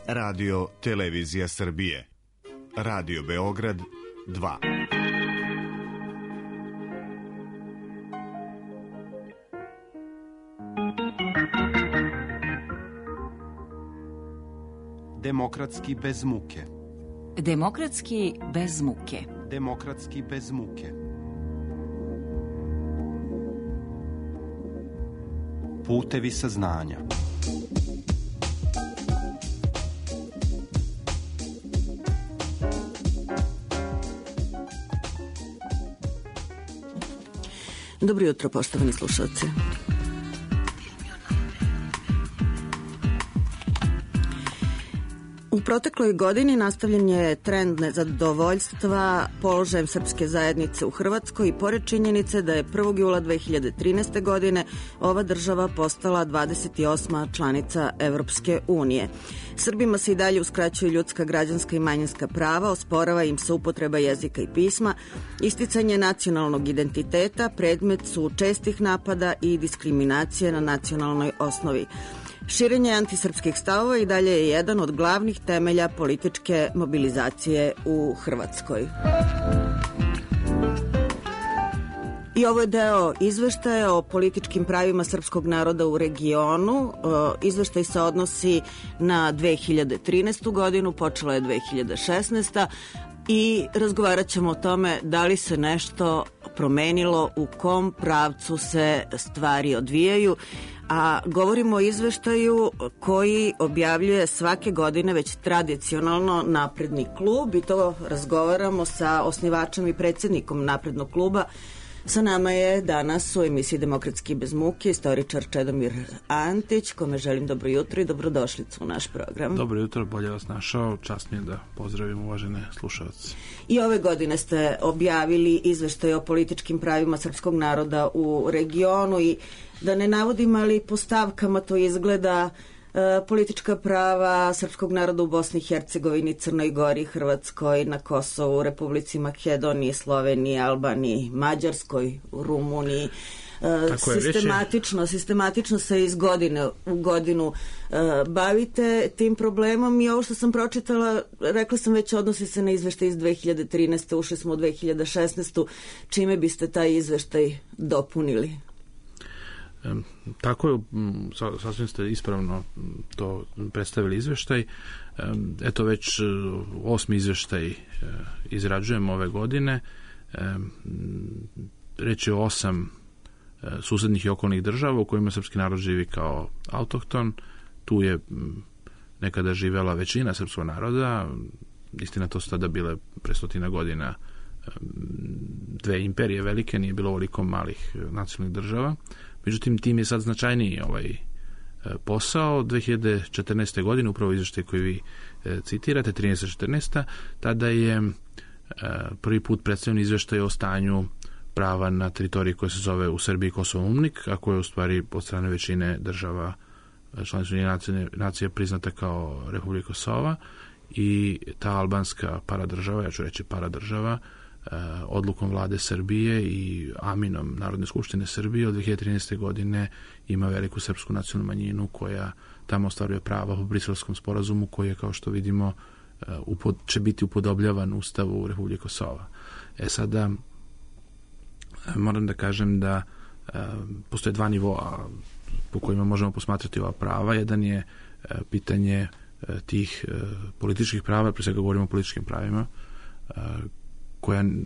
Radio Televizija Srbije. Radio Beograd 2. Demokratski bez muke. Demokratski bez muke. Demokratski bez muke. Putevi saznanja. Dobro jutro, poštovani slušalci. U protekloj godini nastavljen je trend nezadovoljstva položajem srpske zajednice u Hrvatskoj i pored činjenice da je 1. jula 2013. godine ova država postala 28. članica Evropske unije. Srbima se i dalje uskraćuju ljudska, građanska i manjinska prava, osporava im se upotreba jezika i pisma, isticanje nacionalnog identiteta, predmet su čestih napada i diskriminacije na nacionalnoj osnovi. Širenje antisrpskih stavova i dalje je jedan od glavnih temelja političke mobilizacije u Hrvatskoj. I ovo je deo izveštaja o političkim pravima srpskog naroda u regionu. Izveštaj se odnosi na 2013. godinu, počela je 2016. I razgovarat ćemo o tome da li se nešto promenilo, u kom pravcu se stvari odvijaju. A govorimo o izveštaju koji objavljuje svake godine već tradicionalno Napredni klub i to razgovaramo sa osnivačem i predsjednikom Naprednog kluba. Sa nama je danas u emisiji Demokratski bez muke istoričar Čedomir Antić, kome želim dobro jutro i dobrodošlicu u naš program. Dobro jutro, bolje vas našao, čast mi je da pozdravim uvažene slušalce. I ove godine ste objavili izveštaj o političkim pravima srpskog naroda u regionu i da ne navodim, ali po stavkama to izgleda politička prava srpskog naroda u Bosni i Hercegovini, Crnoj Gori, Hrvatskoj, na Kosovu, Republici Makedoniji, Sloveniji, Albaniji, Mađarskoj, Rumuniji. Sistematično se iz godine u godinu bavite tim problemom i ovo što sam pročitala, rekla sam već, odnosi se na izveštaj iz 2013. Ušli smo u 2016. Čime biste taj izveštaj dopunili? Tako je, sasvim ste ispravno to predstavili izveštaj. Eto već 8. izveštaj izrađujemo ove godine. Reč je o 8 susednih i okolnih država u kojima srpski narod živi kao autohton. Tu je nekada živela većina srpskog naroda. Istina, to su tada bile pre 100 godina dve imperije velike, nije bilo ovoliko malih nacionalnih država. Međutim, tim je sad značajniji posao. 2014. godine, upravo izveštaj koji vi citirate, 13-14, tada je prvi put predstavljen izveštaj o stanju prava na teritoriji koja se zove u Srbiji Kosovo UNMNIK, a koja je u stvari od strane većine država članica Ujedinjenih nacija priznata kao Republika Kosova, i ta albanska paradržava, ja ću reći paradržava, odlukom vlade Srbije i aminom Narodne skupštine Srbije od 2013. godine ima veliku srpsku nacionalnu manjinu koja tamo ostvaruje prava po Briselskom sporazumu koji je, kao što vidimo, će biti upodobljavan Ustavu Republike Kosova. Sada moram da kažem da postoje dva nivoa po kojima možemo posmatrati ova prava. Jedan je pitanje tih političkih prava, pre svega govorimo o političkim pravima,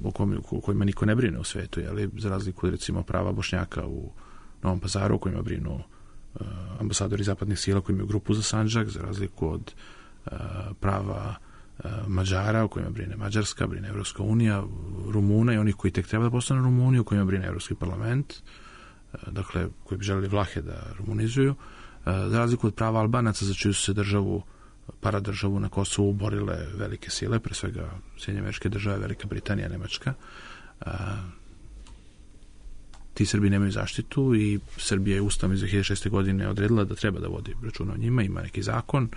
o kojima niko ne brine u svetu, za razliku od, recimo, prava Bošnjaka u Novom Pazaru, o kojima brinu ambasadori zapadnih sila koji imaju grupu za Sandžak, za razliku od prava Mađara, o kojima brine Mađarska, brine Evropska unija, Rumuna i onih koji tek treba da postanu Rumuni, o kojima brine Evropski parlament, dakle, koji bi želeli Vlahe da rumunizuju, za razliku od prava Albanaca, za čiju su se paradržavu na Kosovu borile velike sile, pre svega Sjedinjene Američke Države, Velika Britanija, Nemačka. Ti Srbi nemaju zaštitu i Srbija je Ustavom iz 2006. godine odredila da treba da vodi računa o njima. Ima neki zakon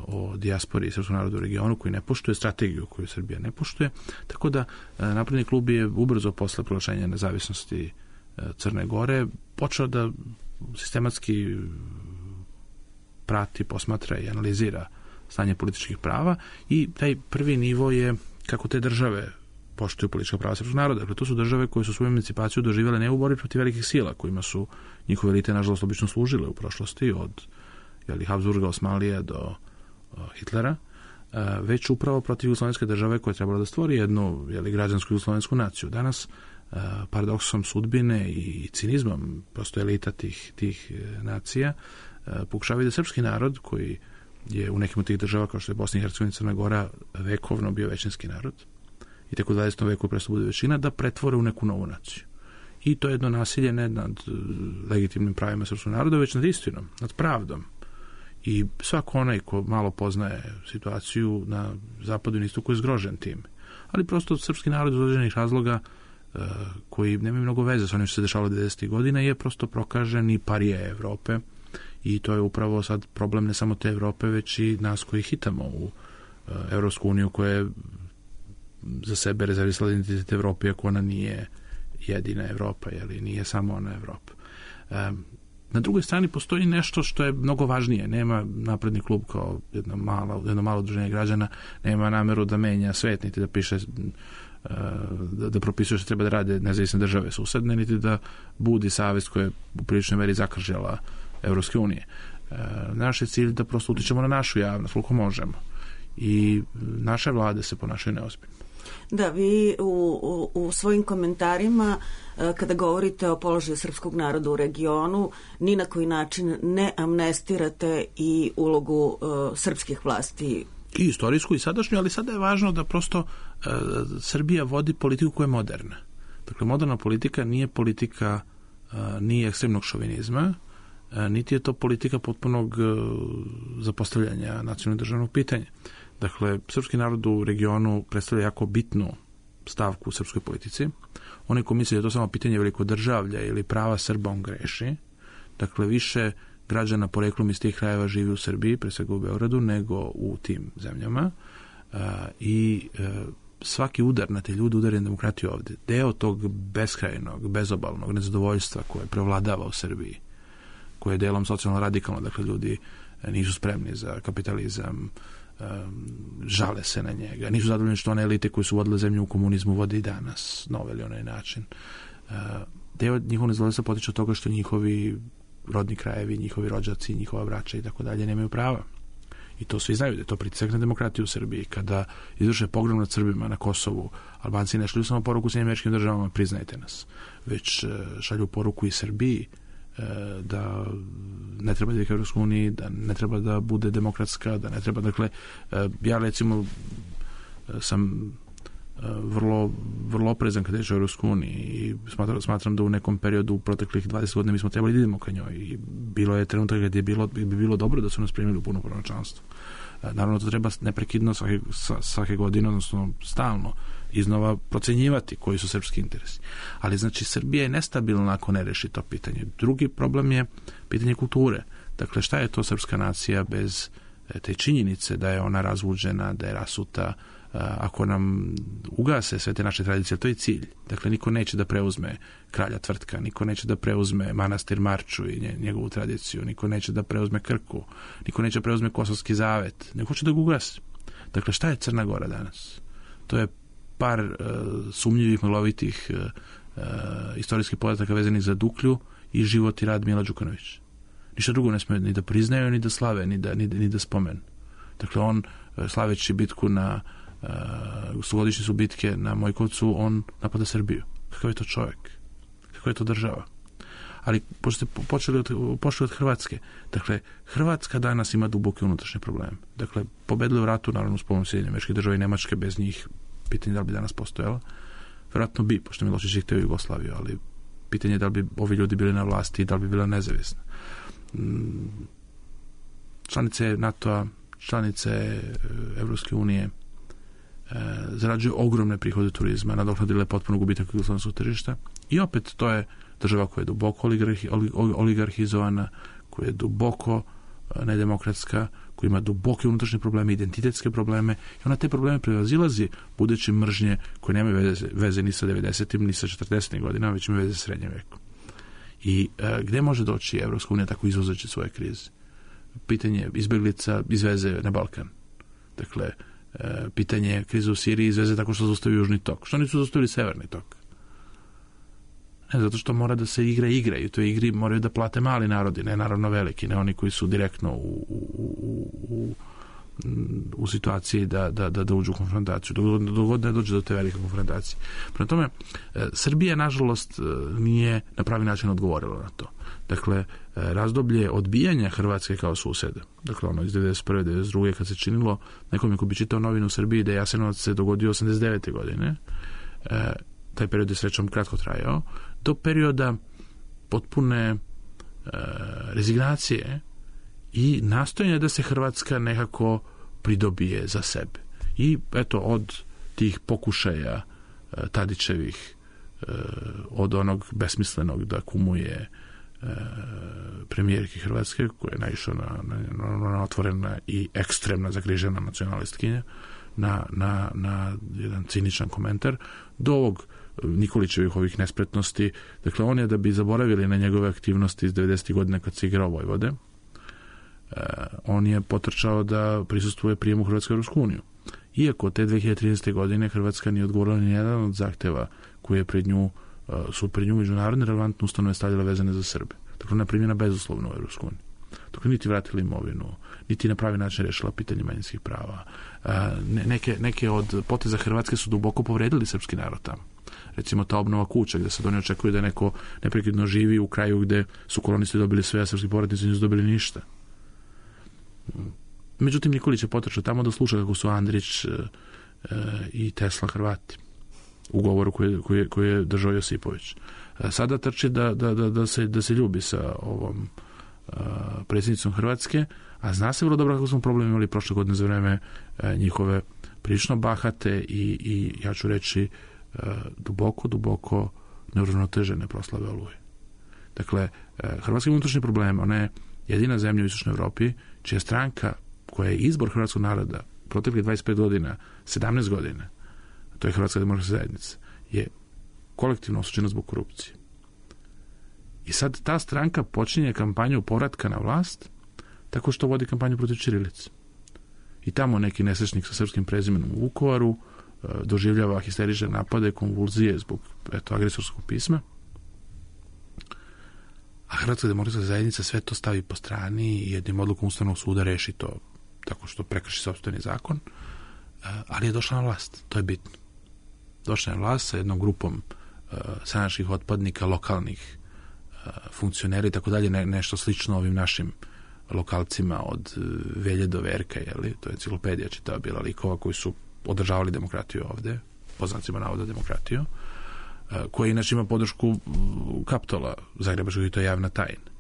o dijaspori i srpskom narodu u regionu koji ne poštuje, strategiju koju Srbija ne poštuje. Tako da Napredni klub je ubrzo posle proglašenja nezavisnosti Crne Gore počeo da sistematski prati, posmatra i analizira stanje političkih prava i taj prvi nivo je kako te države poštuju politička prava srpskog naroda. Dakle, to su države koje su svoju emancipaciju doživjele ne u borbi protiv velikih sila, kojima su njihove elite, nažalost, obično služile u prošlosti, od Habsburga, Osmanlija do Hitlera, već upravo protiv jugoslovenske države koja je trebala da stvori jednu građansku jugoslovensku naciju. Danas, paradoksom sudbine i cinizmom prosto elita tih nacija pokušavaju da srpski narod, koji je u nekim od tih država, kao što je Bosna i Hercegovina i Crna Gora, vekovno bio većinski narod, i tek u 20. veku presto bude većina, da pretvore u neku novu naciju. I to je jedno nasilje ne nad legitimnim pravima srpskog naroda, već nad istinom, nad pravdom. I svako onaj ko malo poznaje situaciju na zapadu i istoku je zgrožen tim. Ali prosto srpski narod iz određenih razloga koji nemaju mnogo veze sa onim što se dešavalo 90. godina je prosto prokažen i parija Evrope, i to je upravo sad problem ne samo te Evrope, već i nas koji hitamo u Evropsku uniju, koja je za sebe rezervisala identitet Evrope, ako ona nije jedina Evropa, nije samo ona Evropa. Na drugoj strani postoji nešto što je mnogo važnije. Nema Napredni klub kao jedno malo udruženje građana, nema nameru da menja svet, niti da piše da propisuje što treba da rade nezavisne države susedne, niti da budi savest koja je u priličnoj meri zakržala Evropske unije. Naš je cilj da prosto utičemo na našu javnost koliko možemo. I naše vlade se ponašaju neozbiljno. Da, vi u svojim komentarima kada govorite o položaju srpskog naroda u regionu, ni na koji način ne amnestirate i ulogu srpskih vlasti. I istorijsku i sadašnju, ali sada je važno da prosto Srbija vodi politiku koja je moderna. Dakle, moderna politika nije politika ni ekstremnog šovinizma, niti je to politika potpunog zapostavljanja nacionalnog državnog pitanja. Dakle, srpski narod u regionu predstavlja jako bitnu stavku u srpskoj politici. Onaj ko misli da je to samo pitanje velikodržavlja ili prava Srba, on greši. Dakle, više građana poreklom iz tih krajeva živi u Srbiji, pre svega u Beogradu, nego u tim zemljama. I svaki udar na te ljude, udar je demokratiju ovde. Deo tog beskrajnog, bezobalnog nezadovoljstva koje prevladava u Srbiji, koje je delom socijalno radikalno, dakle ljudi nisu spremni za kapitalizam, žale se na njega, nisu zadovoljni što one elite koje su vodile zemlju u komunizmu vode i danas na ovaj ili onaj način. Deo njihovog nezadovoljstva potiče od toga što njihovi rodni krajevi, njihovi rođaci, njihova braća i tako dalje nemaju prava. I to svi znaju da je to pritisak na demokratiju u Srbiji. Kada izvrše pogrom nad Srbima na Kosovu, Albanci ne šalju samo poruku Sjedinjenim Američkim Državama, priznajte nas, već šalju poruku i Srbiji da ne treba da je u Evropskoj uniji, da ne treba da bude demokratska, da ne treba, dakle, ja recimo sam vrlo oprezan kada je u Evropskoj uniji i smatram da u nekom periodu u proteklih 20 godina mi smo trebali da idemo ka njoj i bilo je trenutak gdje bi bilo dobro da su nas primili u punopravno članstvo. Naravno, to treba neprekidno svake godine, odnosno stalno iznova procenjivati koji su srpski interesi. Ali znači Srbija je nestabilna ako ne reši to pitanje. Drugi problem je pitanje kulture. Dakle, šta je to srpska nacija bez te činjenice da je ona razvuđena, da je rasuta, ako nam ugase sve te naše tradicije, to je cilj. Dakle, niko neće da preuzme kralja Tvrtka, niko neće da preuzme manastir Marču i njegovu tradiciju, niko neće da preuzme Krku, niko neće da preuzme Kosovski zavet, neko hoće da ga ugase. Dakle, šta je Crna Gora danas? To je par sumnjivih, maglovitih istorijskih podataka vezanih za Duklju i život i rad Mila Đukanovića. Ništa drugo ne smije ni da priznaju, ni da slave, ni da spomenu. Dakle, on, slaveći bitku na stogodišnjicu bitke na Mojkovcu, on napada Srbiju. Kakav je to čovjek? Kakva je to država? Ali pošto ste pošli od Hrvatske, dakle, Hrvatska danas ima duboke unutrašnje probleme. Dakle, pobedili u ratu, naravno, s pomoću Sjedinjenih Američkih Država i Nemačke, bez njih pitanje da li bi danas postojala. Vjerojatno bi, pošto Milošević je hteo Jugoslaviju, ali pitanje je da li bi ovi ljudi bili na vlasti i da li bi bila nezavisna. Članice NATO-a, članice Evropske unije zarađuju ogromne prihode turizma, nadoknadile potpuno gubitak jugoslovenskog tržišta i opet to je država koja je duboko oligarhizovana, koja je duboko nedemokratska, koja ima duboke unutrašnje probleme, identitetske probleme i ona te probleme prevazilazi budući mržnje koje nemaju veze ni sa 90-im, ni sa 40-im godinama, već imaju veze sa srednjim vekom. I gde može doći Evropska unija tako izvozeći svoje krize? Pitanje izbeglica iz veze na Balkan. Dakle, pitanje krize u Siriji izveze tako što zaustavi Južni tok. Što nisu zaustavili Severni tok? Ne, zato što mora da se igra i u toj igri moraju da plate mali narodi, ne naravno veliki, ne oni koji su direktno u situaciji da uđu u konfrontaciju. Dogod ne dođe do te velike konfrontacije. Prema tome, Srbija, nažalost, nije na pravi način odgovorila na to. Dakle, razdoblje odbijanja Hrvatske kao suseda, dakle ono iz 91. 92. kad se činilo, nekom ko bi čitao novinu u Srbiji da je Jasenovac se dogodio 89. godine, taj period je srećom kratko trajao, do perioda potpune rezignacije i nastojanja da se Hrvatska nekako pridobije za sebe. I eto, od tih pokušaja Tadićevih, od onog besmislenog da kumuje premijerki Hrvatske, koja je naišao na otvorena i ekstremna zagrižena nacionalistkinja, na jedan ciničan komentar, do ovog Nikolićevih ovih nespretnosti. Dakle, on je, da bi zaboravili na njegove aktivnosti iz 90. godina kad se igrao Vojvode, on je potrčao da prisustvuje prijemu Hrvatske u Europsku uniju. Iako te 2013. godine Hrvatska nije odgovorila ni jedan od zahteva koje je su pred nju međunarodne relevantne ustanove stavljale vezane za Srbe. Dakle, ona je primljena bezuslovno u Europsku uniju. Dakle, niti vratili imovinu, niti na pravi način rešila pitanje manjinskih prava. Neke od poteza Hrvatske su duboko povredili srpski narod tamo. Recimo ta obnova kuća, gde se oni očekuju da neko neprekidno živi u kraju gde su kolonisti dobili sve, a srpski povratnici nisu dobili ništa. Međutim, Nikolić je potrčao tamo da sluša kako su Andrić i Tesla Hrvati u govoru koji je držao Josipović. Sada trči da se ljubi sa ovom predsjednicom Hrvatske, a zna se vrlo dobro kako smo problem imali prošle godine za vreme njihove prilično bahate i ja ću reći duboko neuravnotežene proslave Oluje. Dakle, Hrvatska ima unutrašnje probleme. Ona je jedina zemlja u Istočnoj Evropi čija stranka koja je izbor hrvatskog naroda proteklih 25 godina, 17 godina, to je Hrvatska demokratska zajednica, je kolektivno osuđena zbog korupcije. I sad ta stranka počinje kampanju povratka na vlast tako što vodi kampanju protiv ćirilice. I tamo neki nesrećnik sa srpskim prezimenom u Vukovaru doživljava histerične napade, konvulzije zbog agresorskog pisma. A Hrvatska demokratska zajednica sve to stavi po strani i jednim odlukom Ustavnog suda reši to tako što prekrši sopstveni zakon, ali je došla na vlast. To je bitno. Došla je na vlast sa jednom grupom stranačkih otpadnika, lokalnih funkcionera i tako dalje, nešto slično ovim našim lokalcima od Velje do Verka, to je enciklopedija čitava bila likova koji su održavali demokratiju ovde, po znacima navoda demokratiju, koja inače ima podršku Kaptola Zagrebačkog i to je javna tajna.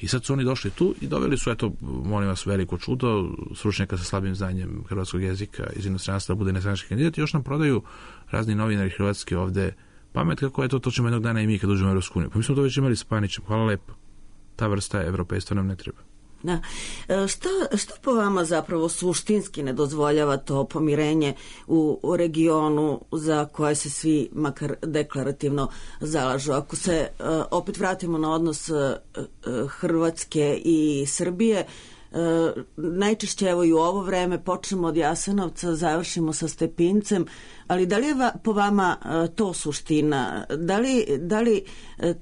I sad su oni došli tu i doveli su, molim vas, veliko čudo, stručnjaka sa slabim znanjem hrvatskog jezika iz inostranstva da bude nestranački kandidat i još nam prodaju razni novinari hrvatski ovde pamet kako je to ćemo jednog dana i mi kad uđemo u Europsku uniju. Pa mi smo to već imali s Panićem, hvala lepo. Ta vrsta evropejstva nam ne treba. Da. Što po vama zapravo suštinski ne dozvoljava to pomirenje u regionu za koje se svi makar deklarativno zalažu? Ako se opet vratimo na odnos Hrvatske i Srbije, najčešće evo i u ovo vreme počnemo od Jasenovca, završimo sa Stepincem, ali da li je po vama to suština? Da li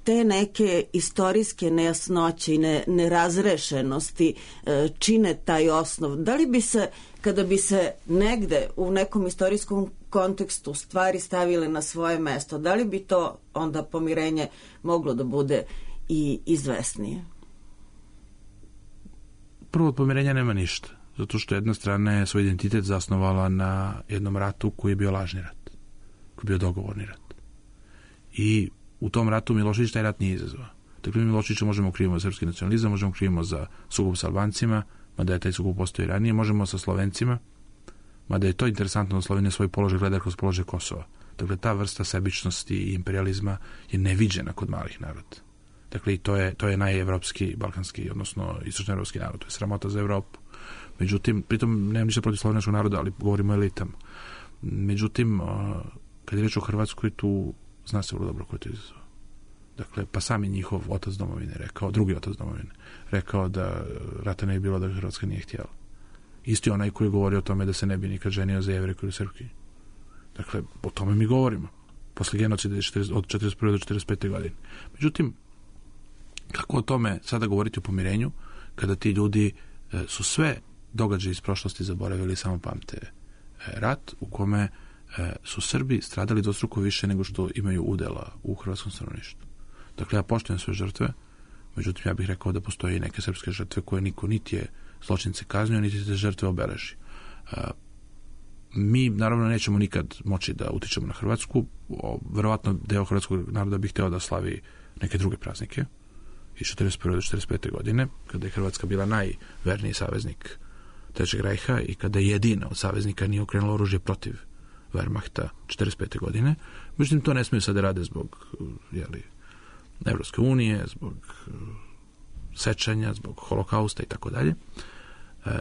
te neke istorijske nejasnoće i nerazrešenosti čine taj osnov? Da li bi se, kada bi se negde u nekom istorijskom kontekstu stvari stavile na svoje mesto, da li bi to onda pomirenje moglo da bude i izvesnije? Prvo, od pomirenja nema ništa, zato što jedna strana je svoj identitet zasnovala na jednom ratu koji je bio lažni rat, koji je bio dogovorni rat. I u tom ratu Milošević taj rat nije izazvao. Dakle, mi Miloševića možemo krivimo za srpski nacionalizam, možemo krivimo za sukob sa Albancima, mada je taj sukob postoji ranije, možemo sa Slovencima, mada je to interesantno da Slovenija svoj položaj gleda kroz položaj Kosova. Dakle, ta vrsta sebičnosti i imperializma je neviđena kod malih naroda. Dakle, i to je najevropski, balkanski, odnosno istočnoevropski narod. To je sramota za Evropu. Međutim, pritom nemam ništa protiv slovenačkog naroda, ali govorimo o elitama. Međutim, kad je reč o Hrvatskoj, tu zna se vrlo dobro ko je to izazvao. Dakle, pa sami njihov otac domovine rekao, drugi otac domovine, rekao da rata ne je bilo da Hrvatska nije htjela. Isti onaj koji govori o tome da se ne bi nikad ženio za Jevreku ili Srpkinju. Dakle, o tome mi govorimo. Posle genocida od 1941. do 1945. godine. Međutim, kako o tome sada govoriti o pomirenju, kada ti ljudi su sve događaje iz prošlosti zaboravili i samo pamte rat u kome su Srbi stradali dvostruko više nego što imaju udela u hrvatskom stanovništvu. Dakle, ja poštujem sve žrtve, međutim, ja bih rekao da postoje i neke srpske žrtve koje niko niti je zločince kaznio, niti te žrtve obeleži. Mi, naravno, nećemo nikad moći da utičemo na Hrvatsku. Verovatno deo hrvatskog naroda bi hteo da slavi neke druge praznike iz 1941. do 1945. godine, kada je Hrvatska bila najverniji saveznik Trećeg rajha i kada jedina od saveznika nije okrenula oružje protiv Wehrmachta 1945. godine. Međutim, to ne smiju sad da rade zbog Evropske unije, zbog sečanja, zbog holokausta i tako dalje.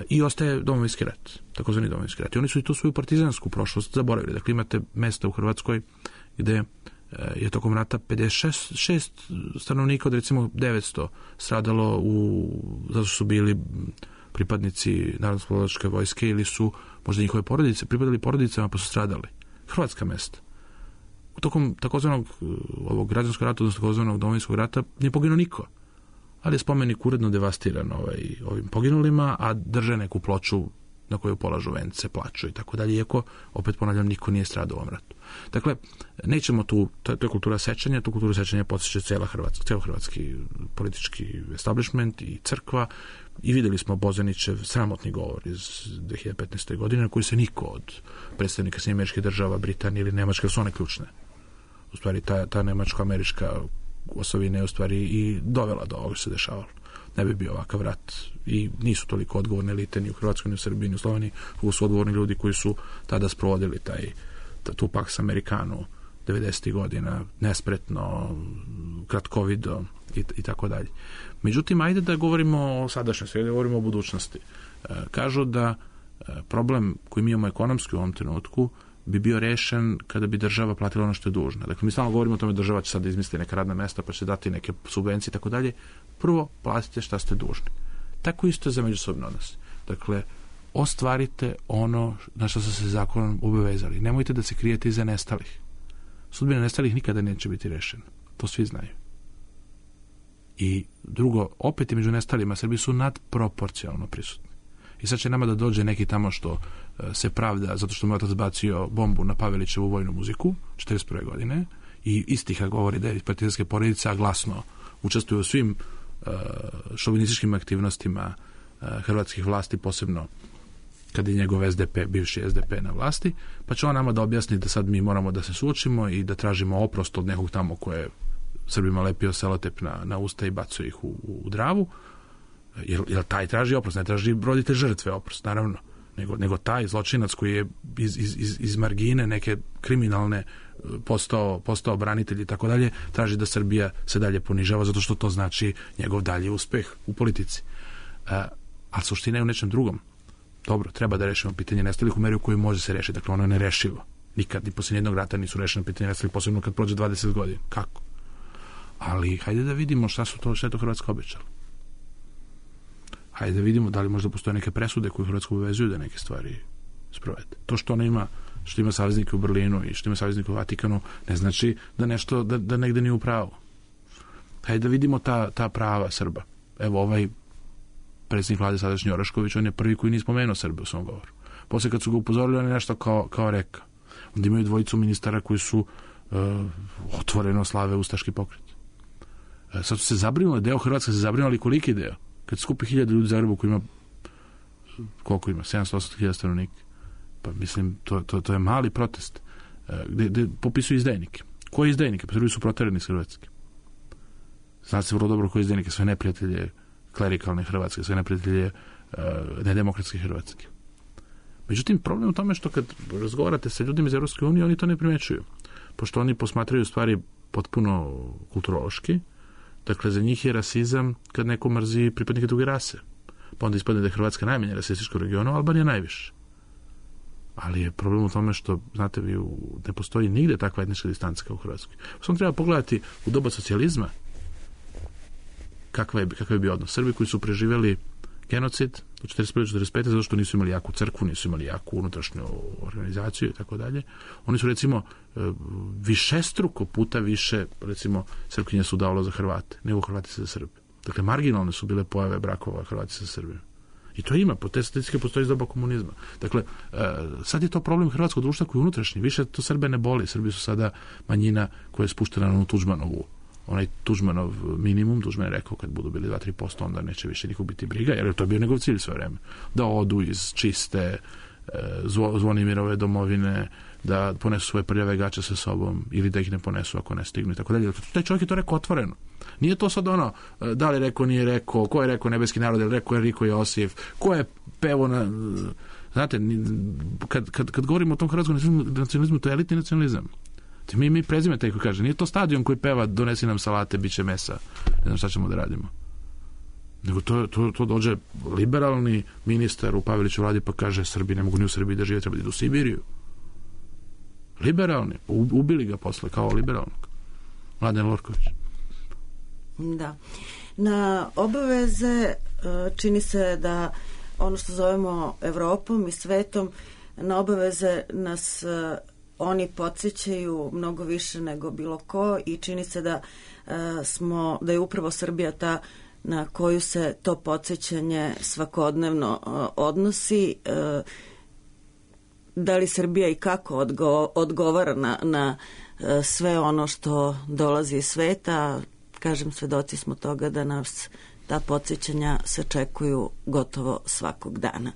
I ostaje Domovinski rat, takozvani Domovinski rat. I oni su i tu svoju partizansku prošlost zaboravili. Dakle, imate mesta u Hrvatskoj gde je tokom rata 56 stanovnika od recimo 900 stradalo zato su bili pripadnici Narodnooslobodilačke vojske ili su možda njihove porodice pripadali porodicama pa su stradali. Hrvatska mesta. Tokom takozvanog ovog građanskog rata, odnosno takozvanog Domovinskog rata, nije poginuo niko. Ali je spomenik uredno devastiran ovim poginulima, a drže neku ploču na koju polažu vence, plaču i tako dalje, iako, opet ponavljam, niko nije stradao u ovom ratu. Dakle, nećemo tu, to je kultura sećanja, tu kulturu sećanja podsjeća ceo hrvatski politički establishment i crkva, i videli smo Bozanićev sramotni govor iz 2015. godine, na koji se niko od predstavnika Sjedinjenih Američkih Država, Britanije ili Nemačke, su one ključne. U stvari, ta nemačko-američka osovina je u stvari i dovela do ovoga što se dešavalo. Ne bi bio ovakav rat i nisu toliko odgovorne elite ni u Hrvatskoj, ni u Srbiji, ni u Sloveniji, kako su odgovorni ljudi koji su tada sprovodili tu Pax Americanu 90. godina, nespretno, kratkovido i tako dalje. Međutim, ajde da govorimo o sadašnjosti, da govorimo o budućnosti. Kažu da problem koji mi imamo ekonomski u ovom trenutku bi bio rešen kada bi država platila ono što je dužna. Dakle, mi stalno govorimo o tome da država će sad izmisliti neka radna mesta, pa će dati neke subvencije i tako dalje. Prvo, platite šta ste dužni. Tako isto je za međusobne odnose. Dakle, ostvarite ono na što ste se zakonom obavezali. Nemojte da se krijete iza nestalih. Sudbina nestalih nikada neće biti rešena. To svi znaju. I drugo, opet i među nestalima Srbi su nadproporcionalno prisutni. I sad će nama da dođe neki tamo što se pravda zato što mu je otac bacio bombu na Pavelićevu vojnu muziku 1941. godine i istiha govori da je iz partizanske porodice, a glasno učestvuje u svim šovinističkim aktivnostima hrvatskih vlasti, posebno kada je njegov SDP, bivši SDP na vlasti, pa će on nama da objasni da sad mi moramo da se suočimo i da tražimo oprost od nekog tamo koje je Srbima lepio selotep na usta i bacio ih u Dravu. Jer taj traži oprost, ne traži roditelj žrtve oprost, naravno, nego taj zločinac koji je iz margine neke kriminalne postao branitelj i tako dalje, traži da Srbija se dalje ponižava zato što to znači njegov dalji uspeh u politici. A suština je u nečem drugom. Dobro, treba da rešimo pitanje nestalih u meri u kojoj može se rešiti. Dakle, ono je nerešivo. Nikad, ni poslije jednog rata nisu rešene pitanje nestalih, posebno kad prođe 20 godina. Kako? Ali hajde da vidimo šta je to Hrvatska obećala. Hajde da vidimo da li možda postoje neke presude koje Hrvatsku obavezuju da neke stvari sprovede. To što ona ima, što ima saveznike u Berlinu i što ima saveznike u Vatikanu, ne znači da nešto, da negde nije u pravu. Hajde da vidimo ta prava Srba. Evo, ovaj predsjednik vlade sadašnji Orašković, on je prvi koji nije spomenuo Srbe u svom govoru. Poslije kad su ga upozorili, on je nešto kao rekao. Onda imaju dvojicu ministara koji su otvoreno slave ustaški pokret. Sad su se zabrinuli, deo Hrvatska se zabrinuli, koliki deo? Kad skupi 1000 ljudi u Zagrebu koji ima, koliko ima? 700-800 stanovnika. Pa mislim, to je mali protest. Gde popisuju izdajnike. Koji izdajnike? Pa Srbi su proterani iz Hrvatske. Znate se vrlo dobro koji izdajnike, sve neprijatelje klerikalne Hrvatske, sve neprijatelje nedemokratske Hrvatske. Međutim, problem u tome što kad razgovarate sa ljudima iz Evropske unije, oni to ne primećuju. Pošto oni posmatraju stvari potpuno kulturološki. Dakle, za njih je rasizam kad neko mrzi pripadnike druge rase. Pa onda ispadne da je Hrvatska najmanje rasistička u regionu, a Albanija najviše. Ali je problem u tome što, znate, ne postoji nigde takva etnička distanca kao u Hrvatskoj. Samo treba pogledati u doba socijalizma kakav je bio odnos. Srbi koji su preživjeli genocid u 1945. zato što nisu imali jaku crkvu, nisu imali jaku unutrašnju organizaciju i tako dalje. Oni su, recimo, višestruko puta više, recimo, Srpkinje su davalo za Hrvate, nego Hrvati za Srbe. Dakle, marginalne su bile pojave brakova Hrvati sa Srbijom. I to ima, po te statistike postoji iz doba komunizma. Dakle, sad je to problem hrvatskog društva koji je unutrašnji. Više to Srbe ne boli. Srbi su sada manjina koja je spuštena na Tuđmanovu. Onaj Tuđmanov minimum, Tuđman je rekao kad budu bili 2-3%, onda neće više nikog biti briga, jer to je bio njegov cilj sve vreme. Da odu iz čiste Zvonimirove domovine, da ponesu svoje prljave gače sa sobom ili da ih ne ponesu ako ne stignu i tako dalje. Taj čovjek je to rekao otvoreno. Nije to sad ono, da li rekao, nije rekao, ko je rekao nebeski narod, ili rekao Enrico Josif, ko je pevo na... Znate, kad govorimo o tom hrvatskom nacionalizmu, to je elitni nacionalizam. Mi prezime taj koji kaže, nije to stadion koji peva, donesi nam salate, bit će mesa, ne znam šta ćemo da radimo. Nego to dođe liberalni ministar u Paveliću vladi pa kaže, Srbi ne mogu ni u Srbiji da žive, treba da idu u Sibiriju. Liberalni, ubili ga posle kao liberalnog. Mladen Lorković. Da. Na obaveze čini se da ono što zovemo Evropom i svetom, na obaveze nas oni podsjećaju mnogo više nego bilo ko i čini se da da je upravo Srbija ta na koju se to podsjećanje svakodnevno odnosi. Da li Srbija i kako odgovara na sve ono što dolazi iz sveta? Kažem, svedoci smo toga da nas ta podsjećanja sačekuju gotovo svakog dana.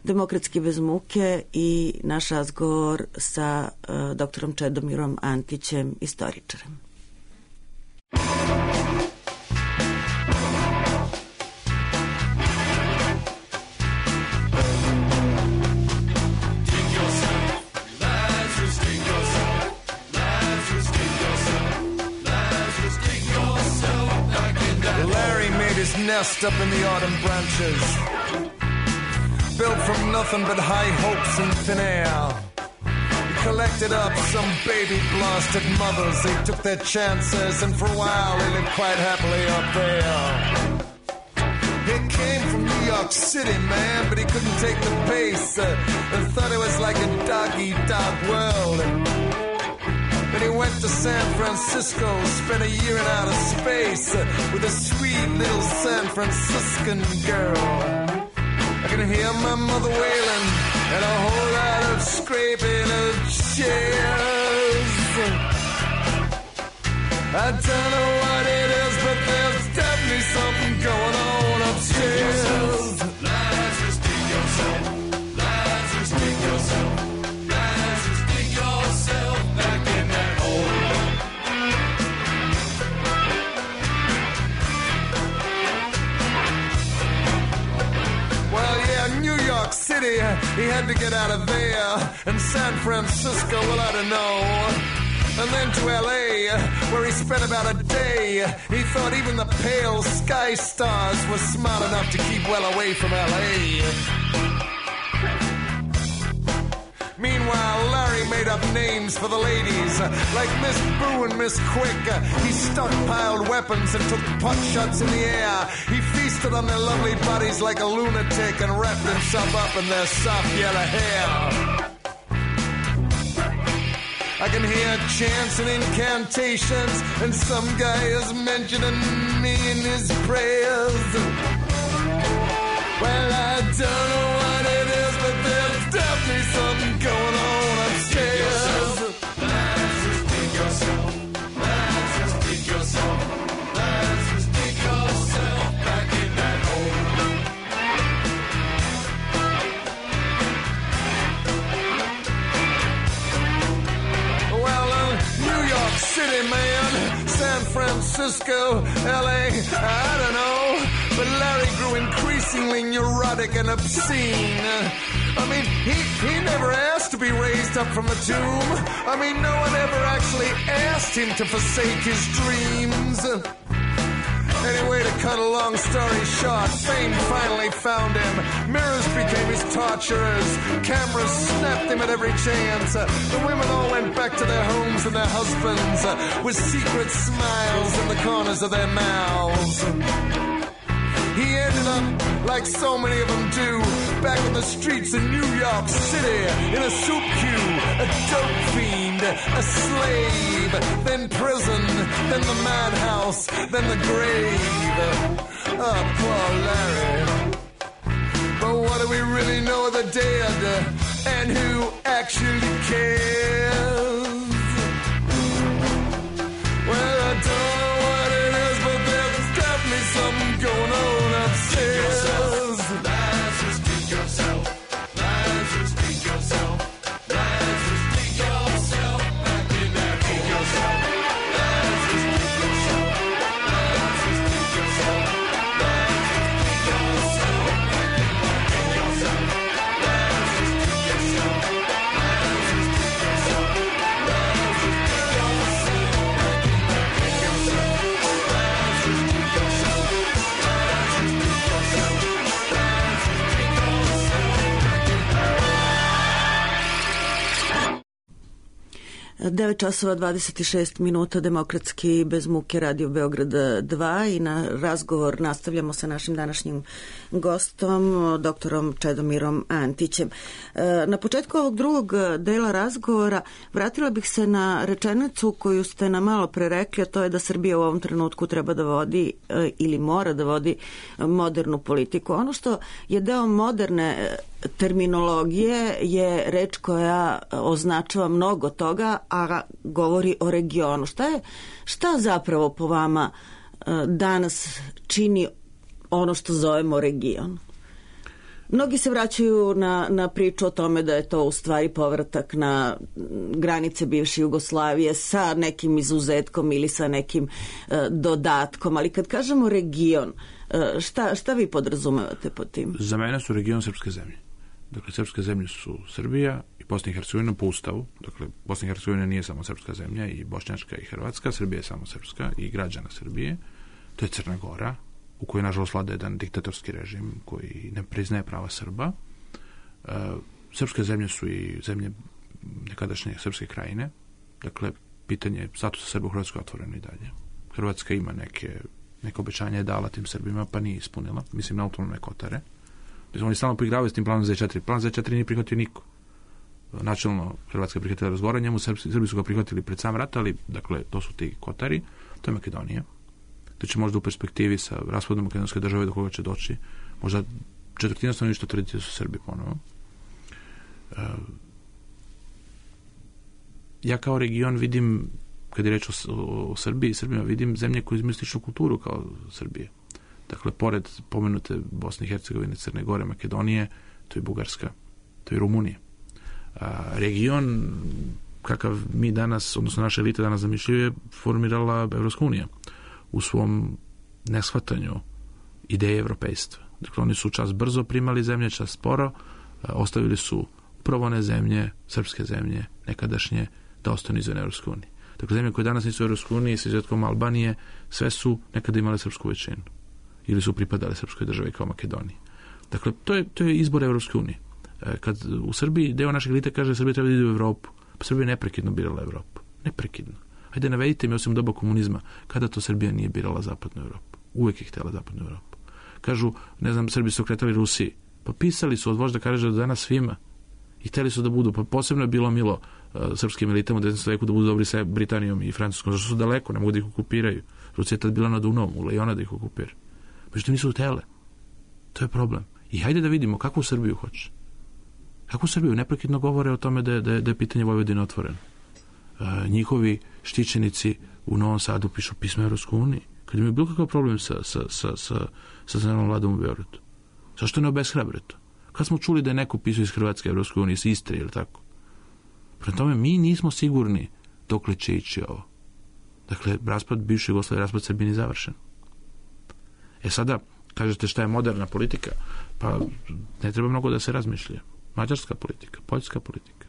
Demokratski bez muke i naš razgovor sa doktorom Čedomirom Antićem, istoričarem. Nest up in the autumn branches, built from nothing but high hopes and thin air. He collected up some baby blasted mothers. They took their chances, and for a while they lived quite happily up there. He came from New York City, man, but he couldn't take the pace and thought it was like a dog-eat-dog world. Then he went to San Francisco, spent a year in outer space with a sweet little San Franciscan girl. I can hear my mother wailing and a whole lot of scraping of chairs. I don't know what it is, but there's definitely something going on upstairs. Lazarus, dig yourself. Lazarus, dig yourself. Lazarus, dig yourself back in that hole. Well, yeah, New York City, he had to get out of there. And San Francisco, well, I don't know. And then to L.A., where he spent about a day. He thought even the pale sky stars were smart enough to keep well away from L.A. Meanwhile, Larry made up names for the ladies, like Miss Boo and Miss Quick. He stockpiled weapons and took pot shots in the air. He feasted on their lovely bodies like a lunatic and wrapped himself up in their soft yellow hair. I can hear chants and incantations, and some guy is mentioning me in his prayers. Well, I don't know what it is, but there's definitely something going on upstairs. Lazarus, dig yourself. Lazarus, dig yourself. Lazarus, dig yourself back in that hole. Well, New York City, man, San Francisco, L.A., I don't know. But Larry grew increasingly neurotic and obscene. I mean, he never asked to be raised up from a tomb. I mean, no one ever actually asked him to forsake his dreams. Anyway, to cut a long story short, fame finally found him. Mirrors became his torturers. Cameras snapped him at every chance. The women all went back to their homes and their husbands with secret smiles in the corners of their mouths. He ended up like so many of them do, back on the streets in New York City, in a soup queue, a dope fiend, a slave, then prison, then the madhouse, then the grave. Oh, poor Larry. But what do we really know of the dead, and who actually cares? Well, I don't know what it is, but there's definitely something going on upstairs. Lazarus, speak yourself. Lazarus, speak yourself. Lazarus, speak yourself. Back in that hole. Speak yourself. Lazarus, speak yourself. Lazarus, speak yourself. Lazarus, speak yourself. Back in that yourself. Lazarus, speak yourself. Lazarus, speak yourself. Lazarus, speak Devet časova 26 minuta, Demokratski bez muke, Radio Beograd 2, i na razgovor nastavljamo sa našim današnjim gostom, doktorom Čedomirom Antićem. Na početku ovog drugog dela razgovora vratila bih se na rečenicu koju ste nam malo pre rekli, a to je da Srbija u ovom trenutku treba da vodi ili mora da vodi modernu politiku. Ono što je deo moderne terminologije je reč koja označava mnogo toga, a govori o regionu. Šta zapravo po vama danas čini ono što zovemo region? Mnogi se vraćaju na priču o tome da je to u stvari povratak na granice bivše Jugoslavije sa nekim izuzetkom ili sa nekim dodatkom, ali kad kažemo region, šta vi podrazumevate pod tim? Za mene su region srpske zemlje. Dakle, srpske zemlje su Srbija i Bosna i Hercegovina po ustavu. Dakle, Bosna i Hercegovina nije samo srpska zemlja, i bošnjačka i hrvatska. Srbija je samo srpska i građana Srbije. To je Crna Gora, u kojoj nažalost vlada jedan diktatorski režim koji ne priznaje prava Srba. Srpske zemlje su i zemlje nekadašnje srpske krajine. Dakle, pitanje statusa Srba u Hrvatskoj otvoreno i dalje. Hrvatska ima neke obećanja je dala tim Srbima, pa nije ispunila. Mislim na autonomne Kotare. Oni stalno poigravaju s tim planom Z4. Plan Z4 nije prihvatio niko. Načelno Hrvatska je prihvatila razgovor, njemu Srbi su ga prihvatili pred sam rat, ali dakle, to su ti Kotari, to je Makedonija. To će možda u perspektivi sa raspadom makedonske države do koga će doći, možda četvrtina stanovništva tvrditi da su Srbi ponovo. Ja kao region vidim, kad je reč o Srbiji i Srbima, vidim zemlje koje imaju sličnu kulturu kao Srbije. Dakle, pored pomenute Bosne i Hercegovine, Crne Gore, Makedonije, to je Bugarska, to je Rumunija. Region kakav mi danas, odnosno naša elita danas zamišljaju, je formirala Evropska unija u svom neshvatanju ideje evropejstva. Dakle, oni su čas brzo primali zemlje, čas sporo, ostavili su upravo one zemlje, srpske zemlje, nekadašnje, da ostanu izvan Evropske unije. Dakle, zemlje koje danas nisu u Evropskoj uniji, sa izuzetkom Albanije, sve su nekada imale srpsku većinu ili su pripadale srpskoj državi kao Makedoniji. Dakle, to je izbor Evropske unije. Kad u Srbiji deo našeg elite kaže da Srbija treba da ide u Evropu, pa Srbija je neprekidno birala Evropu. Neprekidno. Hajde, navedite mi, osim doba komunizma, kada to Srbija nije birala zapadnu Evropu. Uvek je htjela zapadnu Evropu. Kažu, ne znam, Srbi su okretali Rusiji. Pa pisali su od vožda Karađa do danas svima. I htjeli su da budu, pa posebno je bilo milo srpskim elitama u 19. veku da budu dobri sa Britanijom i Francuskom, zašto su daleko, ne mogu da ih okupiraju. Rusija je tad bila na Dunavom, u Lejona da ih okupira. Međutim, nisu htjele. To je problem. I hajde da vidimo kakvu Srbiju hoće. Kakvu Srbiju? Neprekidno govore o tome da je pitanje Vojvodine otvoreno. Njihovi štićenici u Novom Sadu pišu pisma Evropskoj uniji. Kad imaju bilo kakav problem sa zemljom vladom u Beogradu. Zašto ne obeshrabre to? Kad smo čuli da je neko pisao iz Hrvatske Evropskoj unije, iz Istre ili tako? Prema tome, mi nismo sigurni dokle će ići ovo. Dakle, raspad bivše Jugoslavije, raspad Srbije nije završen. Sada, kažete šta je moderna politika, pa ne treba mnogo da se razmišlja. Mađarska politika, poljska politika.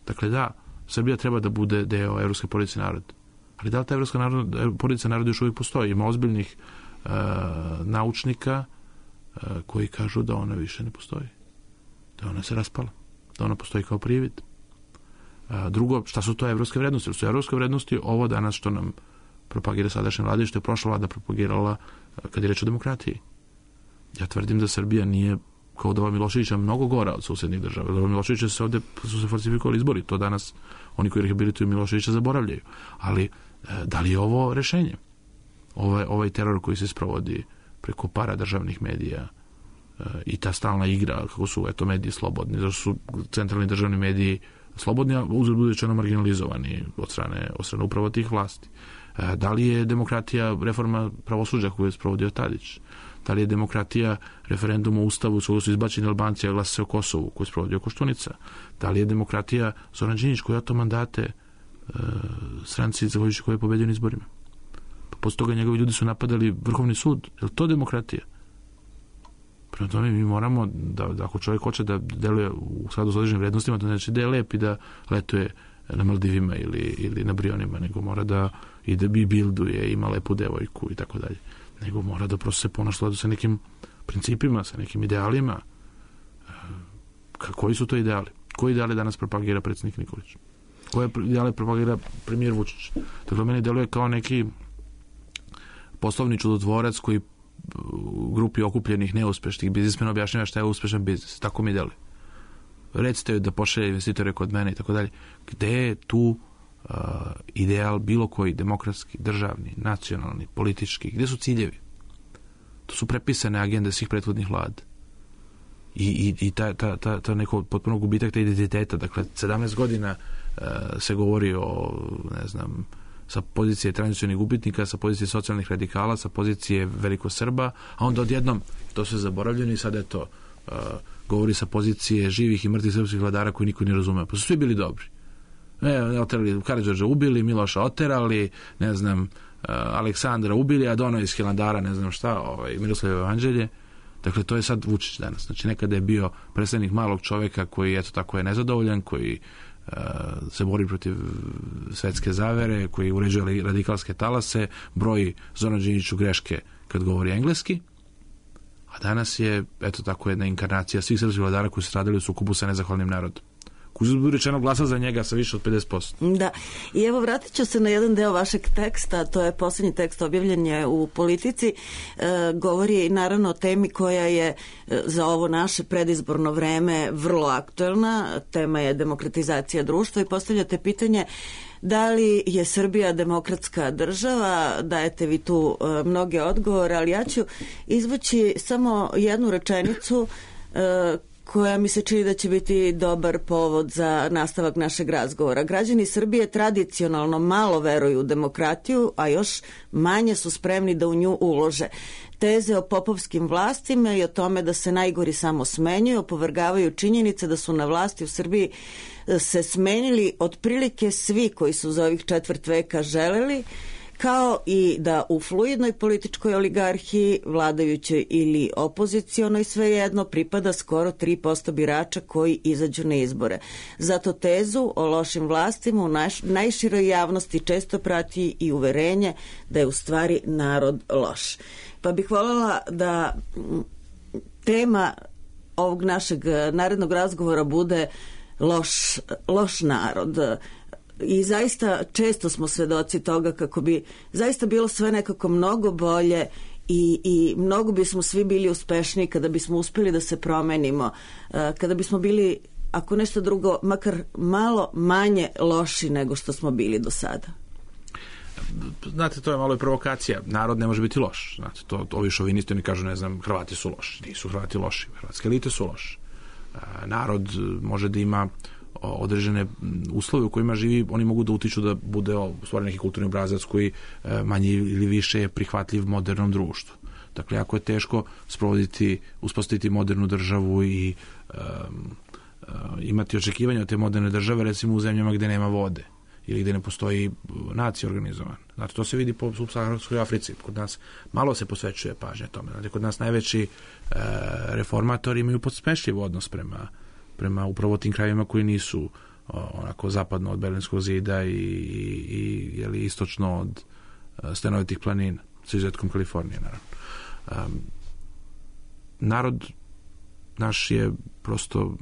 Dakle, da, Srbija treba da bude deo evropske porodice naroda. Ali da li ta evropska porodica naroda još uvijek postoji? Ima ozbiljnih naučnika koji kažu da ona više ne postoji. Da ona se raspala. Da ona postoji kao privid. Drugo, šta su to evropske vrednosti? Su evropske vrednosti ovo danas što nam propagira sadašnja vlada i što je prošla vlada propagirala kad je reč o demokratiji. Ja tvrdim da Srbija nije kao doba Miloševića mnogo gora od susednih država. Doba Miloševića su se falsifikovali izbori. To danas oni koji rehabilituju Miloševića zaboravljaju. Ali da li je ovo rešenje? Ovaj teror koji se sprovodi preko paradržavnih medija i ta stalna igra kako su mediji slobodni, zato su centralni državni mediji slobodni, a uzgled budući marginalizovani od strane upravo tih vlasti. Da li je demokratija reforma pravosuđa koju je sprovodio Tadić? Da li je demokratija referendum o Ustavu s kojeg su izbačeni Albanci, a glasa se o Kosovu koju je sprovodio Koštunica? Da li je demokratija Zoran Đinđić koji je oto mandate stranci zahvaljujući koje je pobedio na izborima? Posle toga njegovi ljudi su napadali Vrhovni sud. Je li to demokratija? Prema tome mi moramo da ako čovjek hoće da deluje u skladu s određenim vrednostima, to znači da je lep i da letuje na Maldivima ili na Brionima, nego mora da ide bi bilduje, ima lepu devojku i tako dalje. Nego mora da prosto se ponaša sa nekim principima, sa nekim idealima. Koji su to ideali? Koji ideali danas propagira predsjednik Nikolić? Koje ideale propagira premijer Vučić? Dakle, meni deluje kao neki poslovni čudotvorac koji grupi okupljenih neuspešnih biznismena objašnjava šta je uspešan biznis. Tako mi deluje. Recite joj da pošalje investitore kod mene i tako dalje. Gde je tu ideal bilo koji demokratski, državni, nacionalni, politički? Gde su ciljevi? To su prepisane agende svih prethodnih vlada. I ta neko potpuno gubitak te identiteta. Dakle, 17 godina se govori o, ne znam, sa pozicije tradicionalnih gubitnika, sa pozicije socijalnih radikala, sa pozicije velikosrba, a onda odjednom to se zaboravljeno i sada je to govori sa pozicije živih i mrtvih srpskih vladara koji niko ne razume. Pa su svi bili dobri. Oterali Karađorđa ubili, Miloša oterali, ne znam, Aleksandra ubili, a dono iz Hilandara, ne znam šta, Miroslavljevo evanđelje. Dakle, to je sad Vučić danas. Znači, nekada je bio predstavnik malog čoveka koji, eto tako, je nezadovoljan, koji se bori protiv svetske zavere, koji uređuje radikalske talase, broji Zoran Đinđiću greške kad govori engleski, a danas je, eto tako, jedna inkarnacija svih srpskih vladara koji su stradali u sukobu sa nezahvalnim narodom. Koji je rečeno glasa za njega sa više od 50%. Da, i evo vratit ću se na jedan deo vašeg teksta, to je posljednji tekst, objavljen je u Politici, govori naravno o temi koja je za ovo naše predizborno vreme vrlo aktuelna, tema je demokratizacija društva i postavljate pitanje da li je Srbija demokratska država, dajete vi tu mnoge odgovore, ali ja ću izvući samo jednu rečenicu koja mi se čini da će biti dobar povod za nastavak našeg razgovora. Građani Srbije tradicionalno malo veruju u demokratiju, a još manje su spremni da u nju ulože. Teze o popovskim vlastima i o tome da se najgori samo smenjuju opovrgavaju činjenice da su na vlasti u Srbiji se smenili otprilike svi koji su za ovih četvrt veka želeli, kao i da u fluidnoj političkoj oligarhiji, vladajućoj ili opozicionoj, svejedno pripada skoro 3% birača koji izađu na izbore. Zato tezu o lošim vlastima u najširoj javnosti često prati i uverenje da je u stvari narod loš. Pa bih voljela da tema ovog našeg narednog razgovora bude loš narod. I zaista često smo svedoci toga kako bi zaista bilo sve nekako mnogo bolje i mnogo bismo svi bili uspešniji kada bismo uspjeli da se promenimo, kada bismo bili, ako nešto drugo, makar malo manje loši nego što smo bili do sada. Znate, to je malo i provokacija. Narod ne može biti loš. Znate, ovi šovinisti, oni kažu, ne znam, Hrvati su loši. Nisu Hrvati loši. Hrvatske elite su loši. Narod može da ima određene uslove u kojima živi, oni mogu da utiču da bude u stvari neki kulturni obrazac koji manje ili više je prihvatljiv modernom društvu. Dakle, jako je teško uspostaviti modernu državu i imati očekivanja od te moderne države, recimo u zemljama gde nema vode ili gde ne postoji nacija organizovan. Znate, to se vidi po subsaharskoj Africi. Kod nas malo se posvećuje pažnje tome. Znate, kod nas najveći reformatori imaju podsmešljiv odnos prema upravo tim krajevima koji nisu onako zapadno od Berlinskog zida i istočno od stenovitih planina, sa izuzetkom Kalifornije, naravno. Narod naš je prosto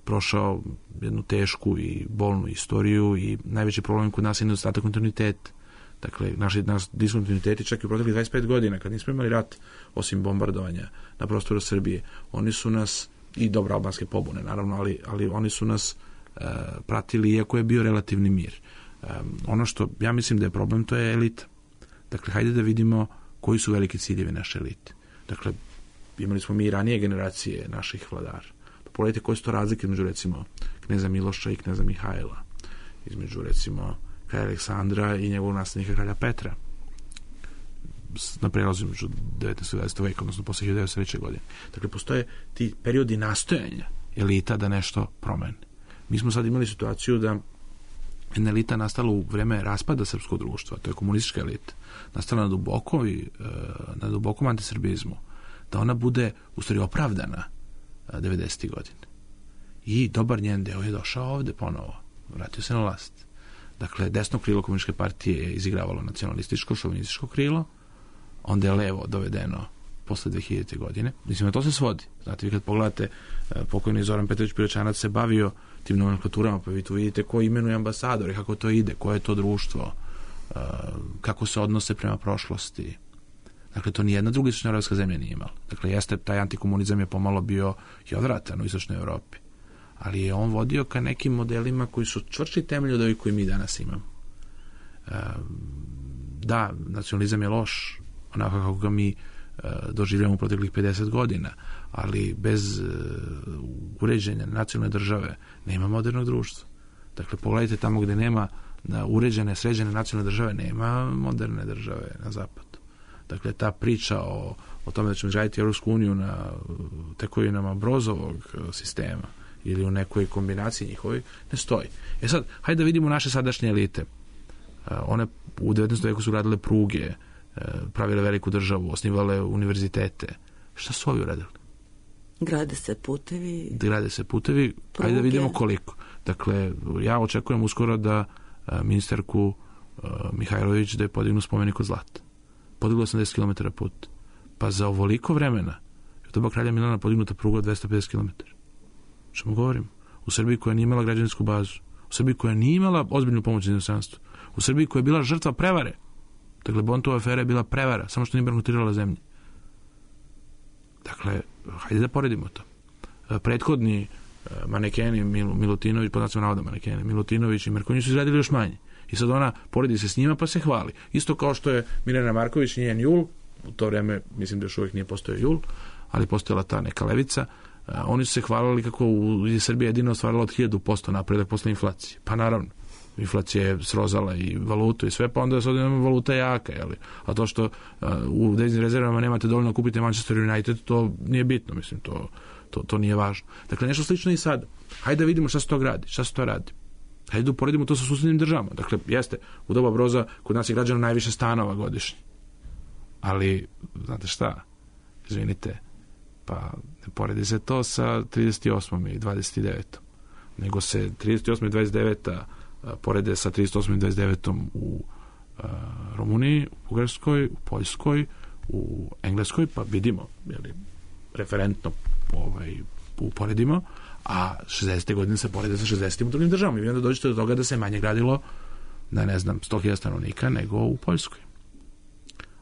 prošao jednu tešku i bolnu istoriju i najveći problem kod nas je nedostatak kontinuiteta. Dakle, naši diskontinuiteti čak i u proteklih 25 godina, kad nismo imali rat, osim bombardovanja na prostoru Srbije, oni su nas, i dobro albanske pobune, naravno, ali oni su nas pratili, iako je bio relativni mir. Ono što ja mislim da je problem, to je elita. Dakle, hajde da vidimo koji su veliki ciljevi naše elite. Dakle, imali smo mi i ranije generacije naših vladara. Pogledajte koje su to razlike između, recimo, kneza Miloša i kneza Mihajla, između, recimo, kralja Aleksandra i njegovog naslednika kralja Petra, na prelazu između 19. i 20. veka, odnosno posle 1903. godine. Dakle, postoje ti periodi nastojanja elita da nešto promene. Mi smo sad imali situaciju da jedna elita nastala u vreme raspada srpskog društva, to je komunistička elita, nastala na dubokom antisrbizmu, da ona bude u stvari opravdana 90. godine. I dobar njen deo je došao ovde ponovo, vratio se na vlast. Dakle, desno krilo komunističke partije je izigravalo nacionalističko, šovinističko krilo, onda je levo dovedeno posle 2000. godine. Mislim, na to se svodi. Znate, vi kad pogledate, pokojni Zoran Petrović Piroćanac se bavio tim nomenklaturama, pa vi tu vidite ko imenuje ambasadore, kako to ide, koje je to društvo, kako se odnose prema prošlosti. Dakle, to nijedna druga istočnoevropska zemlja nije imala. Dakle, jeste, taj antikomunizam je pomalo bio i odvratan u istočnoj Evropi. Ali je on vodio ka nekim modelima koji su čvršći temelj od ovih koji mi danas imamo. Da, nacionalizam je loš, onako kako ga mi doživljamo u proteklih 50 godina, ali bez uređenja nacionalne države nema modernog društva. Dakle, pogledajte tamo gde nema uređene, sređene nacionalne države, nema moderne države na zapadu. Dakle, ta priča o tome da ćemo izgraditi Evropsku uniju na tekovinama Brozovog sistema ili u nekoj kombinaciji njihovi, ne stoji. Sad, hajde da vidimo naše sadašnje elite. One u 19. veku su radile pruge, pravile veliku državu, osnivale univerzitete. Šta su ovi uradili? Grade se putevi. Pruge. Hajde da vidimo koliko. Dakle, ja očekujem uskoro da ministarku Mihajlović da je podignu spomenik od zlata. Podiglo 80 km put. Pa za ovoliko vremena je doba kralja Milana podignuta pruga od 250 km. Što mu govorim? U Srbiji koja nije imala građansku bazu, u Srbiji koja nije imala ozbiljnu pomoć iz inostranstva, u Srbiji koja je bila žrtva prevare. Dakle, Bontova afera je bila prevara, samo što nije bankrotirala zemlje. Dakle, hajde da poredimo to. Prethodni manekeni Milutinović, pod nacionalnom navoda manekeni, Milutinović i Merkonjić su izradili još manje. I sad ona poredi se s njima pa se hvali. Isto kao što je Mirjana Marković i njen Jul, u to vreme mislim da još uvijek nije postojao Jul, ali postojala ta neka levica, oni su se hvalili kako je Srbija jedino ostvarila od 1000% napredak posle inflacije. Pa naravno, inflacija je srozala i valutu i sve, pa onda se odjednom valuta jaka, jeli? A to što u deviznim rezervama nemate dovoljno kupiti Manchester United, to nije bitno, mislim, to nije važno. Dakle, nešto slično i sad. Hajde da vidimo šta se to radi, Hajde da uporedimo to sa susednim državama. Dakle, jeste, u doba Broza kod nas je građano najviše stanova godišnje. Ali, znate šta, izvinite, pa ne poredi se to sa 38. i 29. Nego se 38. i 29. porede sa 38. i 29. u Rumuniji, u Bugarskoj, u Poljskoj, u Engleskoj, pa vidimo, jeli, referentno uporedimo, a 60. godine se porede sa 60. u drugim državama. I onda dođete do toga da se manje gradilo na, 100.000 stanovnika nego u Poljskoj.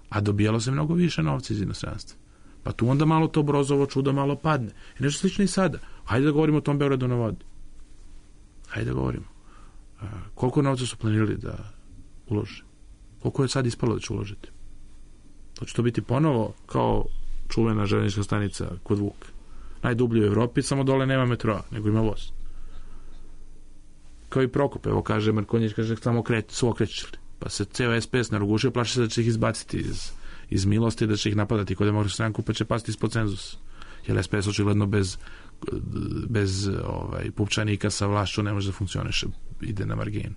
A dobijalo se mnogo više novca iz inostranstva. Pa tu onda malo to Brozovo čudo malo padne. I nešto slično i sada. Hajde da govorimo o tom Beogradu na vodi. Hajde da govorimo. Koliko novca su planirali da ulože? Koliko je sad ispalo da će uložiti? To će to biti ponovo kao čuvena železnička stanica kod Vuka. Najdublji u Evropi, samo dole nema metroa, nego ima voz. Kao i Prokop, evo kaže Markonjić, kaže samo su okrećili. Pa se ceo SPS narogušio, plaši se da će ih izbaciti iz milosti, da će ih napadati kod Demokratsku stranku, pa će pasti ispod cenzusa. Jer SPS očigledno bez pupčanika sa vlašću ne može da funkcioniše, ide na marginu.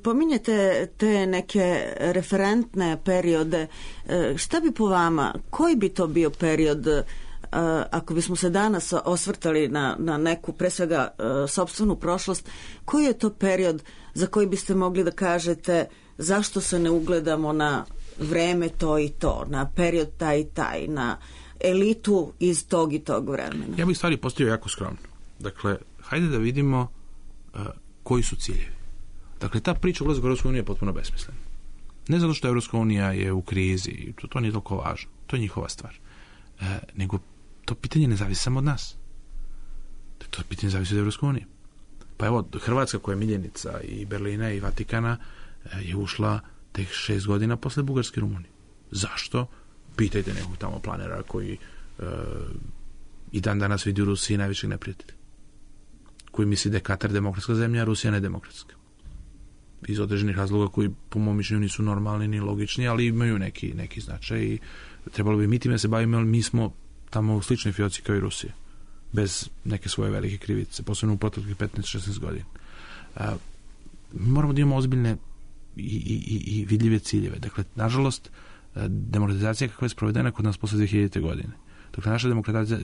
Pominjete te neke referentne periode. Šta bi po vama, koji bi to bio period, ako bismo se danas osvrtali na neku, pre svega, sopstvenu prošlost, koji je to period za koji biste mogli da kažete zašto se ne ugledamo na vreme to i to, na period taj i taj, na elitu iz tog i tog vremena? Ja bih stvari postavio jako skromno. Dakle, hajde da vidimo koji su ciljevi. Dakle, ta priča ulazka u Europsku uniju je potpuno besmislena. Ne zato što Europska unija je u krizi, to nije toliko važno, to je njihova stvar. Nego to pitanje ne zavisi samo od nas. To pitanje zavisi od Europske unije. Pa evo, Hrvatska koja je miljenica i Berlina i Vatikana je ušla tek 6 godina posle Bugarske i Rumunije. Zašto? Pitajte nekog tamo planera koji i dan danas vidi u Rusiji najvećeg neprijatelja. Koji misli da je Katar demokratska zemlja, a Rusija nedemokratska. Iz određenih razloga koji po mom mišljenju nisu normalni ni logični, ali imaju neki značaj i trebalo bi mi time se bavimo, ali mi smo tamo u sličnoj fioci kao i Rusija. Bez neke svoje velike krivice, posebno u proteklih 15-16 godina. Mi moramo da imamo ozbiljne i vidljive ciljeve. Dakle, nažalost, demokratizacija kakva je sprovedena kod nas posle 2000. godine. Dakle, naša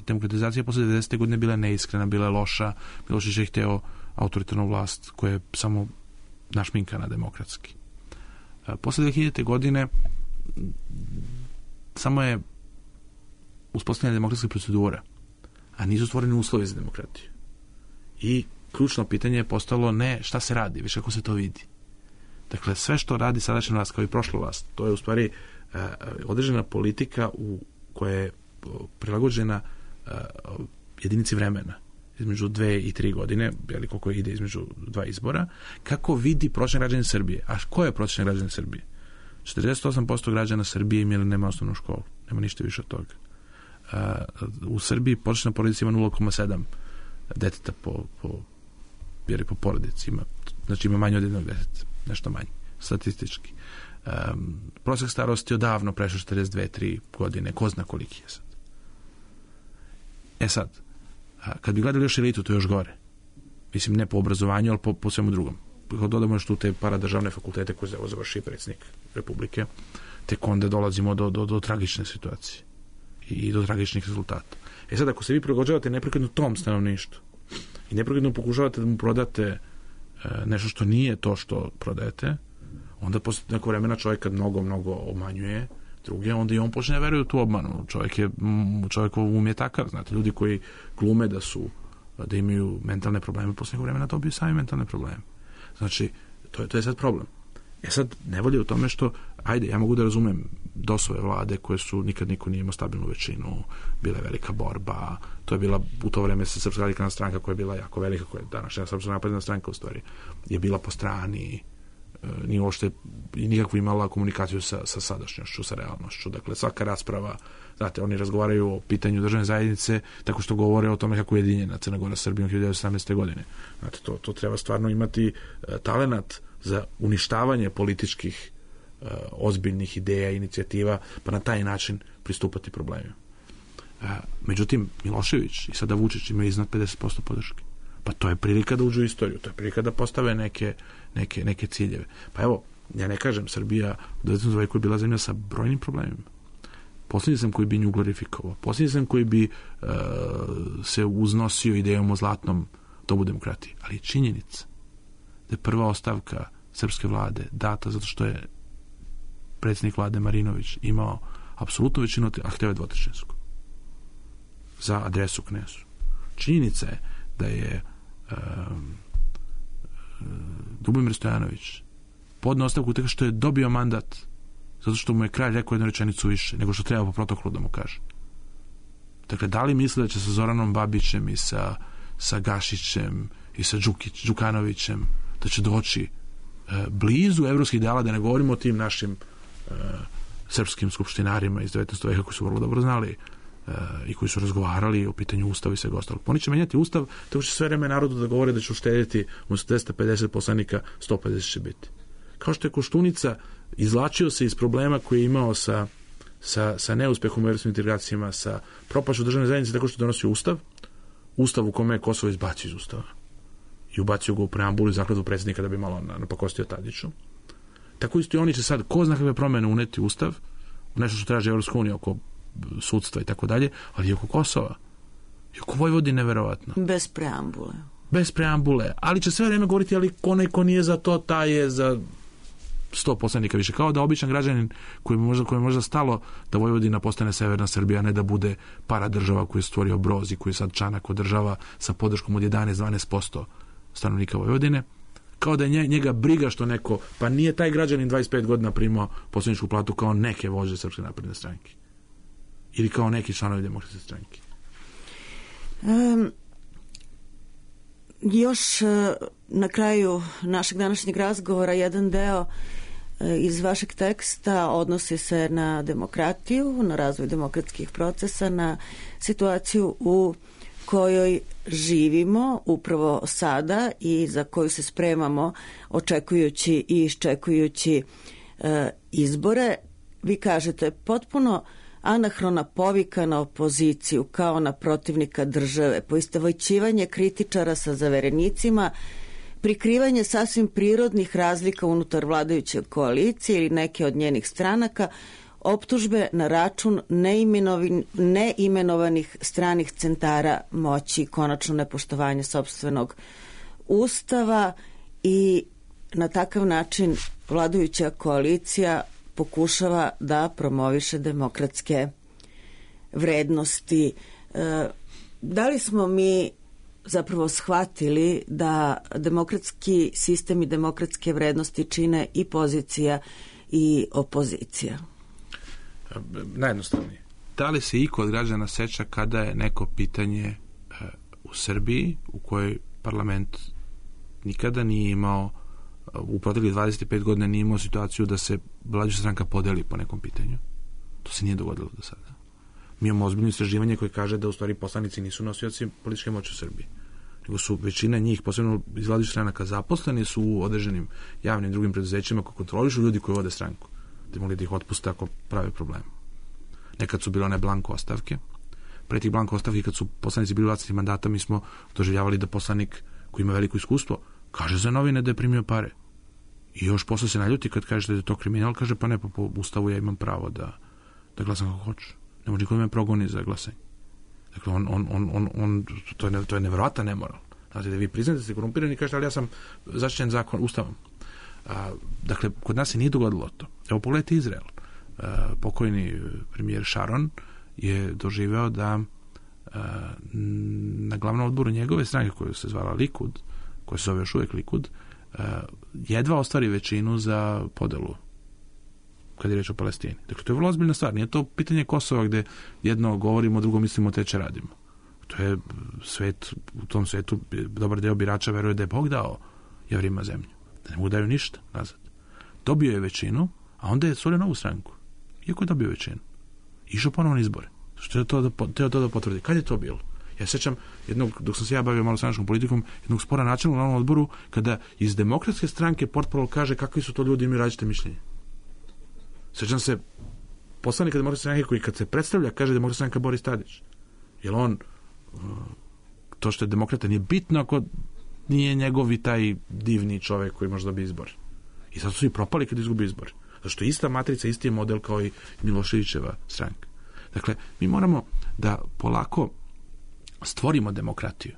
demokratizacija posle 90. godine bila neiskrena, bila je loša, Milošević je hteo autoritarnu vlast koja je samo našminkana demokratski. Posle 2000. godine samo je uspostavljena demokratska procedura, a nisu stvoreni uslovi za demokratiju. I ključno pitanje je postalo ne šta se radi, već kako se to vidi. Dakle, sve što radi sadašnja vlast kao i prošla vlast, to je u stvari određena politika koja je prilagođena jedinici vremena između 2 i 3 godine, ili koliko ide između 2 izbora, kako vidi prosječan građanin Srbije. A ko je prosječan građanin Srbije? 48% građana Srbije nema osnovnu školu. Nema ništa više od toga. U Srbiji prosječna porodica ima 0,7 deteta po porodici. Znači ima manje od jednog deteta. Nešto manje. Statistički. Prosjek starosti odavno prešao 42-3 godine. Ko zna koliki je sad. Sad, kad bi gledali još elitu, to je još gore. Mislim, ne po obrazovanju, ali po svemu drugom. Kad dodamo još tu te paradržavne fakultete koje završi predsjednik Republike, tek onda dolazimo do tragične situacije i do tragičnih rezultata. Sad, ako se vi prilagođavate neprekidno tom stanovništvu i neprekidno pokušavate da mu prodate nešto što nije to što prodajete, onda posle neko vremena čovjek kad mnogo obmanjuje druge, onda i on počne da veruje u tu obmanu. Čovjekov um je takav, znate, ljudi koji glume da imaju mentalne probleme, posle nekog vremena dobiju sami mentalne probleme. Znači, to je sad problem. Sad, nevolje u tome što, ja mogu da razumem DOS-ove vlade koje su, nikad niko nije imao stabilnu većinu, bila je velika borba, to je bila u to vreme Srpska radikalna stranka koja je bila jako velika, koja je današnja Srpska napredna stranka u stvari, je bila po strani, nije uopšte nikakvu imala komunikaciju sa sadašnjošću, sa realnošću. Dakle, svaka rasprava, znate, oni razgovaraju o pitanju državne zajednice tako što govore o tome kako je jedinjena Crna Gora s Srbijom 1917. godine. Znate, to treba stvarno imati talenat za uništavanje političkih ozbiljnih ideja i inicijativa, pa na taj način pristupati problemima. Međutim, Milošević i sada Vučić imaju iznad 50% podrške. Pa to je prilika da uđu u istoriju, to je prilika da postave neke ciljeve. Pa evo, ja ne kažem, Srbija u 19. veku je bila zemlja sa brojnim problemima. Posljednji sam koji bi nju glorifikovao, posljednji sam koji bi se uznosio idejom o zlatnom dobu demokratije. Ali je činjenica da je prva ostavka srpske vlade data zato što je predsjednik vlade Marinović imao apsolutnu većinu, a hteo je dvotrećinsku za adresu Knesu. Činjenica je da je Ljubomir Stojanović podneo ostavku tako što je dobio mandat zato što mu je kralj rekao jednu rečenicu više nego što treba po protokolu da mu kaže. Dakle, da li misle da će sa Zoranom Babićem i sa Gašićem i sa Đukanovićem da će doći blizu evropskih ideala, da ne govorimo o tim našim srpskim skupštinarima iz 19. veka koji su vrlo dobro znali i koji su razgovarali o pitanju ustava i svega ostalog. Oni će menjati ustav tako će sve vreme narodu da govore da će uštediti umjesto 250 poslanika 150 će biti. Kao što je Koštunica izvlačio se iz problema koji je imao sa neuspehom u evropskim integracijama, sa propašću državne zajednice tako što donosi ustav u kome je Kosovo izbacio iz ustava i ubacio ga u preambulu i zakletvu predsjednika da bi malo napakostio Tadiću. Tako isto i oni će sad, ko zna kakve promjene uneti ustav, nešto što traži Evropska unija oko sudstva i tako dalje, ali i oko Kosova. I oko Vojvodine, verovatno. Bez preambule. Ali će sve vreme govoriti, ali ko nije za to, taj je za 100 poslanika više. Kao da običan građanin koji je možda stalo da Vojvodina postane severna Srbija, ne da bude paradržava koju je stvorio Broz i koju sad Čanak održava sa podrškom od 11-12% stanovnika Vojvodine. kao da je njega briga što neko, pa nije taj građanin 25 godina primao poslaničku platu kao neke vođe Srpske napredne stranke. Ili kao neki članovi Demokratske stranke. Još na kraju našeg današnjeg razgovora jedan deo iz vašeg teksta odnosi se na demokratiju, na razvoj demokratskih procesa, na situaciju u kojoj živimo upravo sada i za koju se spremamo očekujući i iščekujući izbore. Vi kažete potpuno anahrona povika na opoziciju kao na protivnika države, poistovjećivanje kritičara sa zaverenicima, prikrivanje sasvim prirodnih razlika unutar vladajuće koalicije ili neke od njenih stranaka, optužbe na račun neimenovanih stranih centara moći, konačno nepoštovanje sopstvenog ustava i na takav način vladajuća koalicija pokušava da promoviše demokratske vrednosti. Da li smo mi zapravo shvatili da demokratski sistem i demokratske vrednosti čine i pozicija i opozicija? Najjednostavnije. Da li se iko od građana seća kada je neko pitanje u Srbiji u kojoj parlament nikada nije imao, u proteklih 25 godina nije imao situaciju da se vladajuća stranka podeli po nekom pitanju? To se nije dogodilo do sada. Mi imamo ozbiljno istraživanje koje kaže da u stvari poslanici nisu nosioci političke moći u Srbiji, nego su većina njih, posebno iz vladajućih stranaka, zaposleni su u određenim javnim drugim preduzećima koji kontrolišu ljudi koji vode stranku, da mogli da ih otpuste ako prave probleme. Nekad su bile one blanko ostavke. Pre tih blanko ostavki, kad su poslanici bili vlasnici mandata, mi smo doživljavali da poslanik koji ima veliko iskustvo kaže za novine da je primio pare. I još posle se naljuti kad kaže da je to kriminal, kaže pa ne, po ustavu ja imam pravo da glasam kako hoću. Ne može niko da me progoni za glasanje. Dakle, to je nevjerojatan nemoral. Znači, da vi priznate da ste korumpirani i kažete, ali ja sam zaštićen zakon, ustavom. Dakle, kod nas se nije dogodilo to. Evo, pogledajte Izrael. Pokojni premijer Sharon je doživeo da na glavnom odboru njegove stranke, koja se zvala Likud, koja se zove još uvijek Likud, jedva ostvari većinu za podelu kad je reč o Palestini. Dakle, to je vrlo ozbiljna stvar. Nije to pitanje Kosova gde jedno govorimo, drugo mislimo, teče radimo. To je svet, u tom svetu dobar deo birača veruje da je Bog dao Jevrima zemlju. Da ne mogu daju ništa nazad. Dobio je većinu, a onda je stvorio novu stranku. Iako je dobio većinu. Išao ponovno na izbore. Što je to da potvrdi. Kad je to bilo? Ja sećam jednog, dok sam se ja bavio malo stranačkom politikom, jednog spora načelnog na ovom odboru, kada iz Demokratske stranke portparol kaže kakvi su to ljudi, imaju različite mišljenje. Sećam se poslanika Demokratske stranke koji kad se predstavlja kaže Demokratska stranka Boris Tadić. Jer on, to što je demokrata nije bitno ako nije njegovi taj divni čovek koji može dobiti izbor. I sad su i propali kad izgubi izbor. Zato što je ista matrica, isti je model kao i Miloševićeva stranka. Dakle, mi moramo da polako stvorimo demokratiju.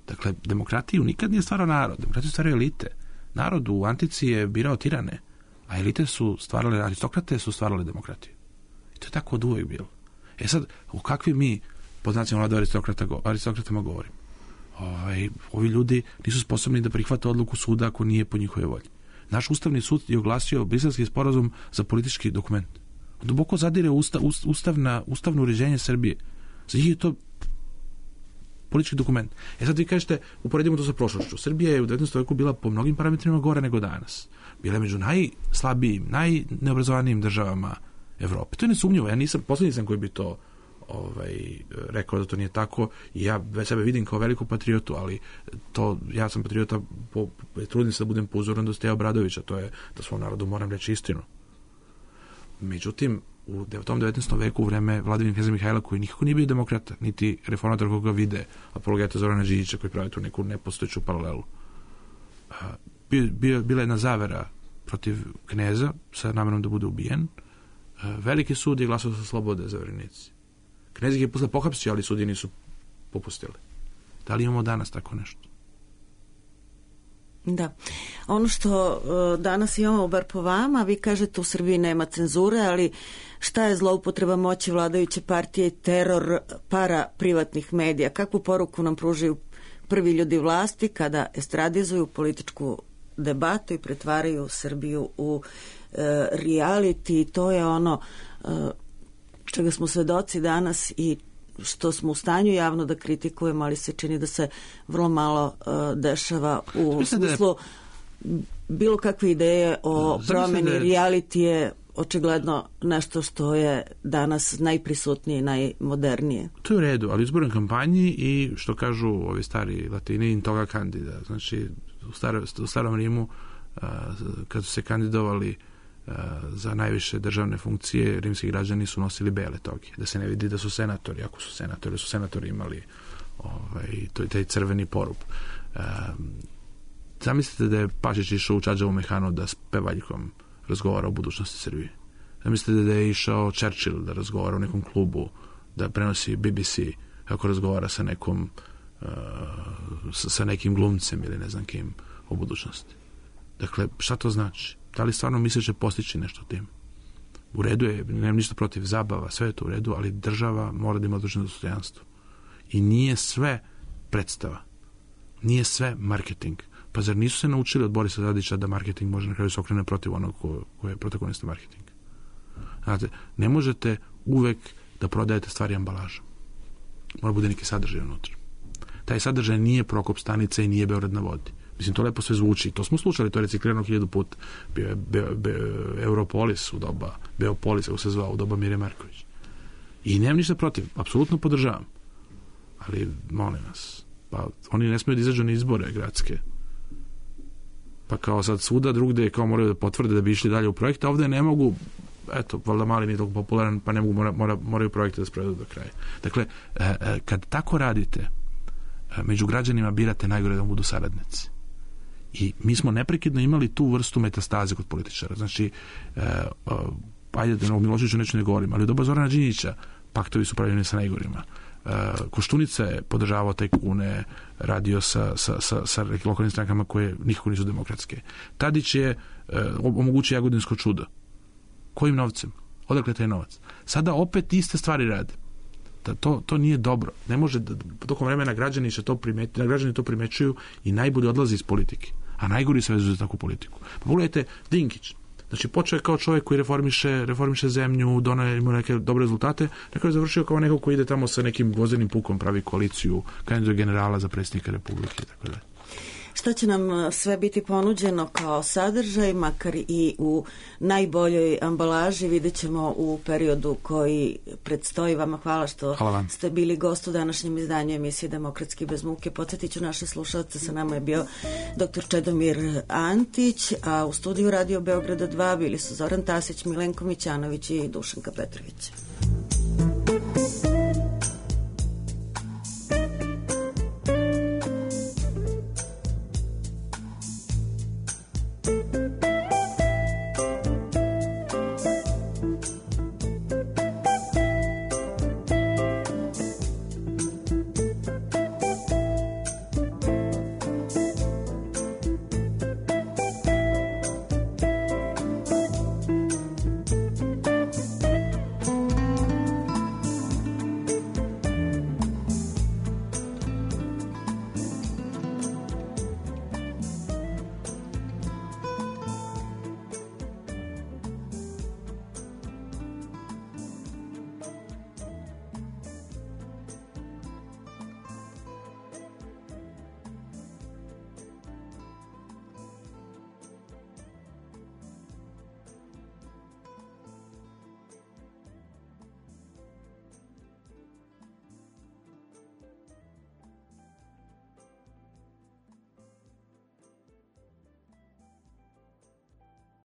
Dakle, demokratiju nikad nije stvarao narod. Demokratiju stvaraju elite. Narod u antici je birao tirane, a elite su stvarale, aristokrate su stvarale demokratiju. I to je tako od uvek bilo. E sad, o kakvim mi, pod znacima vlada aristokratama govorimo? Ovi ljudi nisu sposobni da prihvate odluku suda ako nije po njihove volji. Naš ustavni sud je oglasio Briselski sporazum za politički dokument. Duboko zadire ustavno uređenje Srbije. Za njih je to politički dokument. E sad vi kažete, uporedimo to sa prošlošću. Srbija je u 19. veku bila po mnogim parametrima gore nego danas. Bila je među najslabijim, najneobrazovanijim državama Evrope. To je nesumnjivo. Ja posljednji sam koji bi to rekao da to nije tako i ja već sebe vidim kao veliku patriotu, ali ja sam patriota, trudim se da budem po uzoru do Steja Obradovića, to je da svom narodu moram reći istinu. Međutim, u tom 19. veku u vreme vladavine kneza Mihajla, koji nikako nije bio demokrata, niti reformator koga vide, apologeta Zorana Đinđića koji pravi tu neku nepostojeću paralelu. Bila je jedna zavera protiv kneza sa namerom da bude ubijen. Veliki sud je glasao za slobode zaverenici. Knez ih je posle pohapsio, ali sudije nisu popustili. Da li imamo danas tako nešto? Da. Ono što danas imamo, bar po vama, vi kažete u Srbiji nema cenzure, ali šta je zloupotreba moći vladajuće partije i teror para privatnih medija? Kakvu poruku nam pružaju prvi ljudi vlasti kada estradizuju političku debatu i pretvaraju Srbiju u reality. To je ono čega smo svedoci danas i što smo u stanju javno da kritikujemo, ali se čini da se vrlo malo dešava u smislu bilo kakve ideje o promeni. Reality je očigledno nešto što je danas najprisutnije i najmodernije. To je u redu, ali u izbornoj kampanji i što kažu ovi stari Latini in toga candida. Znači u starom Rimu kad su se kandidovali za najviše državne funkcije, rimski građani su nosili bele toge, da se ne vidi da su senatori, ako su senatori imali taj crveni porub. Zamislite da je Pašić išao u Čađavu Mehanu da s pevaljkom razgovara o budućnosti Srbije. Zamislite da je išao Churchill da razgovara u nekom klubu, da prenosi BBC kako razgovara sa nekom sa nekim glumcem ili ne znam kim o budućnosti. Dakle, šta to znači? Da li stvarno misle će postići nešto tim? U redu je, nemam ništa protiv zabava, sve je to u redu, ali država mora da ima određeno dostojanstvo. I nije sve predstava. Nije sve marketing. Pa zar nisu se naučili od Borisa Tadića da marketing može na kraju se okrene protiv onog ko je protagonista marketing? Znate, ne možete uvek da prodajete stvari ambalažom. Mora bude neki sadržaj unutra. Taj sadržaj nije Prokop stanica i nije Beograd na vodi. Mislim, to lepo sve zvuči. To smo slušali, to je reciklirano 1000 puta. Bio je Europolis u doba, Beopolis, kako se zvao, u doba Mire Marković. I nemam ništa protiv, apsolutno podržavam. Ali, molim vas, pa oni ne smiju da izađu na izbore gradske. Pa kao sad svuda drugde kao moraju da potvrde da bi išli dalje u projekte, ovde ne mogu, eto, valjda Mali nije toliko popularan, pa ne mogu, moraju projekte da sprovedu do kraja. Dakle, kad tako radite, među građanima birate najgore da budu saradnici. I mi smo neprekidno imali tu vrstu metastaze kod političara. Znači, ajde da o Miloševiću neću ne govorim, ali u doba Zorana Đinđića paktovi su pravljeni sa najgorima. Koštunica je podržavao tajkune, radio sa lokalnim strankama koje nikako nisu demokratske. Tadić je omogućio Jagodinsko čudo. Kojim novcem? Odakle taj novac? Sada opet iste stvari rade. To nije dobro. Ne može da tokom vremena građani to primećuju i najbolje odlazi iz politike. A najgori se vezuju za takvu politiku. Pa pogledajte Dinkić. Znači, počeo je kao čovjek koji reformiše zemlju, donio ima neke dobre rezultate, neko je završio kao neko koji ide tamo sa nekim gvozdenim pukom, pravi koaliciju, kandiduje generala za predsjednika Republike i tako dalje. Šta će nam sve biti ponuđeno kao sadržaj, makar i u najboljoj ambalaži, vidjet ćemo u periodu koji predstoji. Vama hvala što ste bili gost u današnjem izdanju emisije Demokratski bez muke. Podsjetit ću naše slušalce, sa nama je bio dr. Čedomir Antić, a u studiju Radio Beograda 2 bili su Zoran Tasić, Milenko Mićanović i Dušanka Petrović.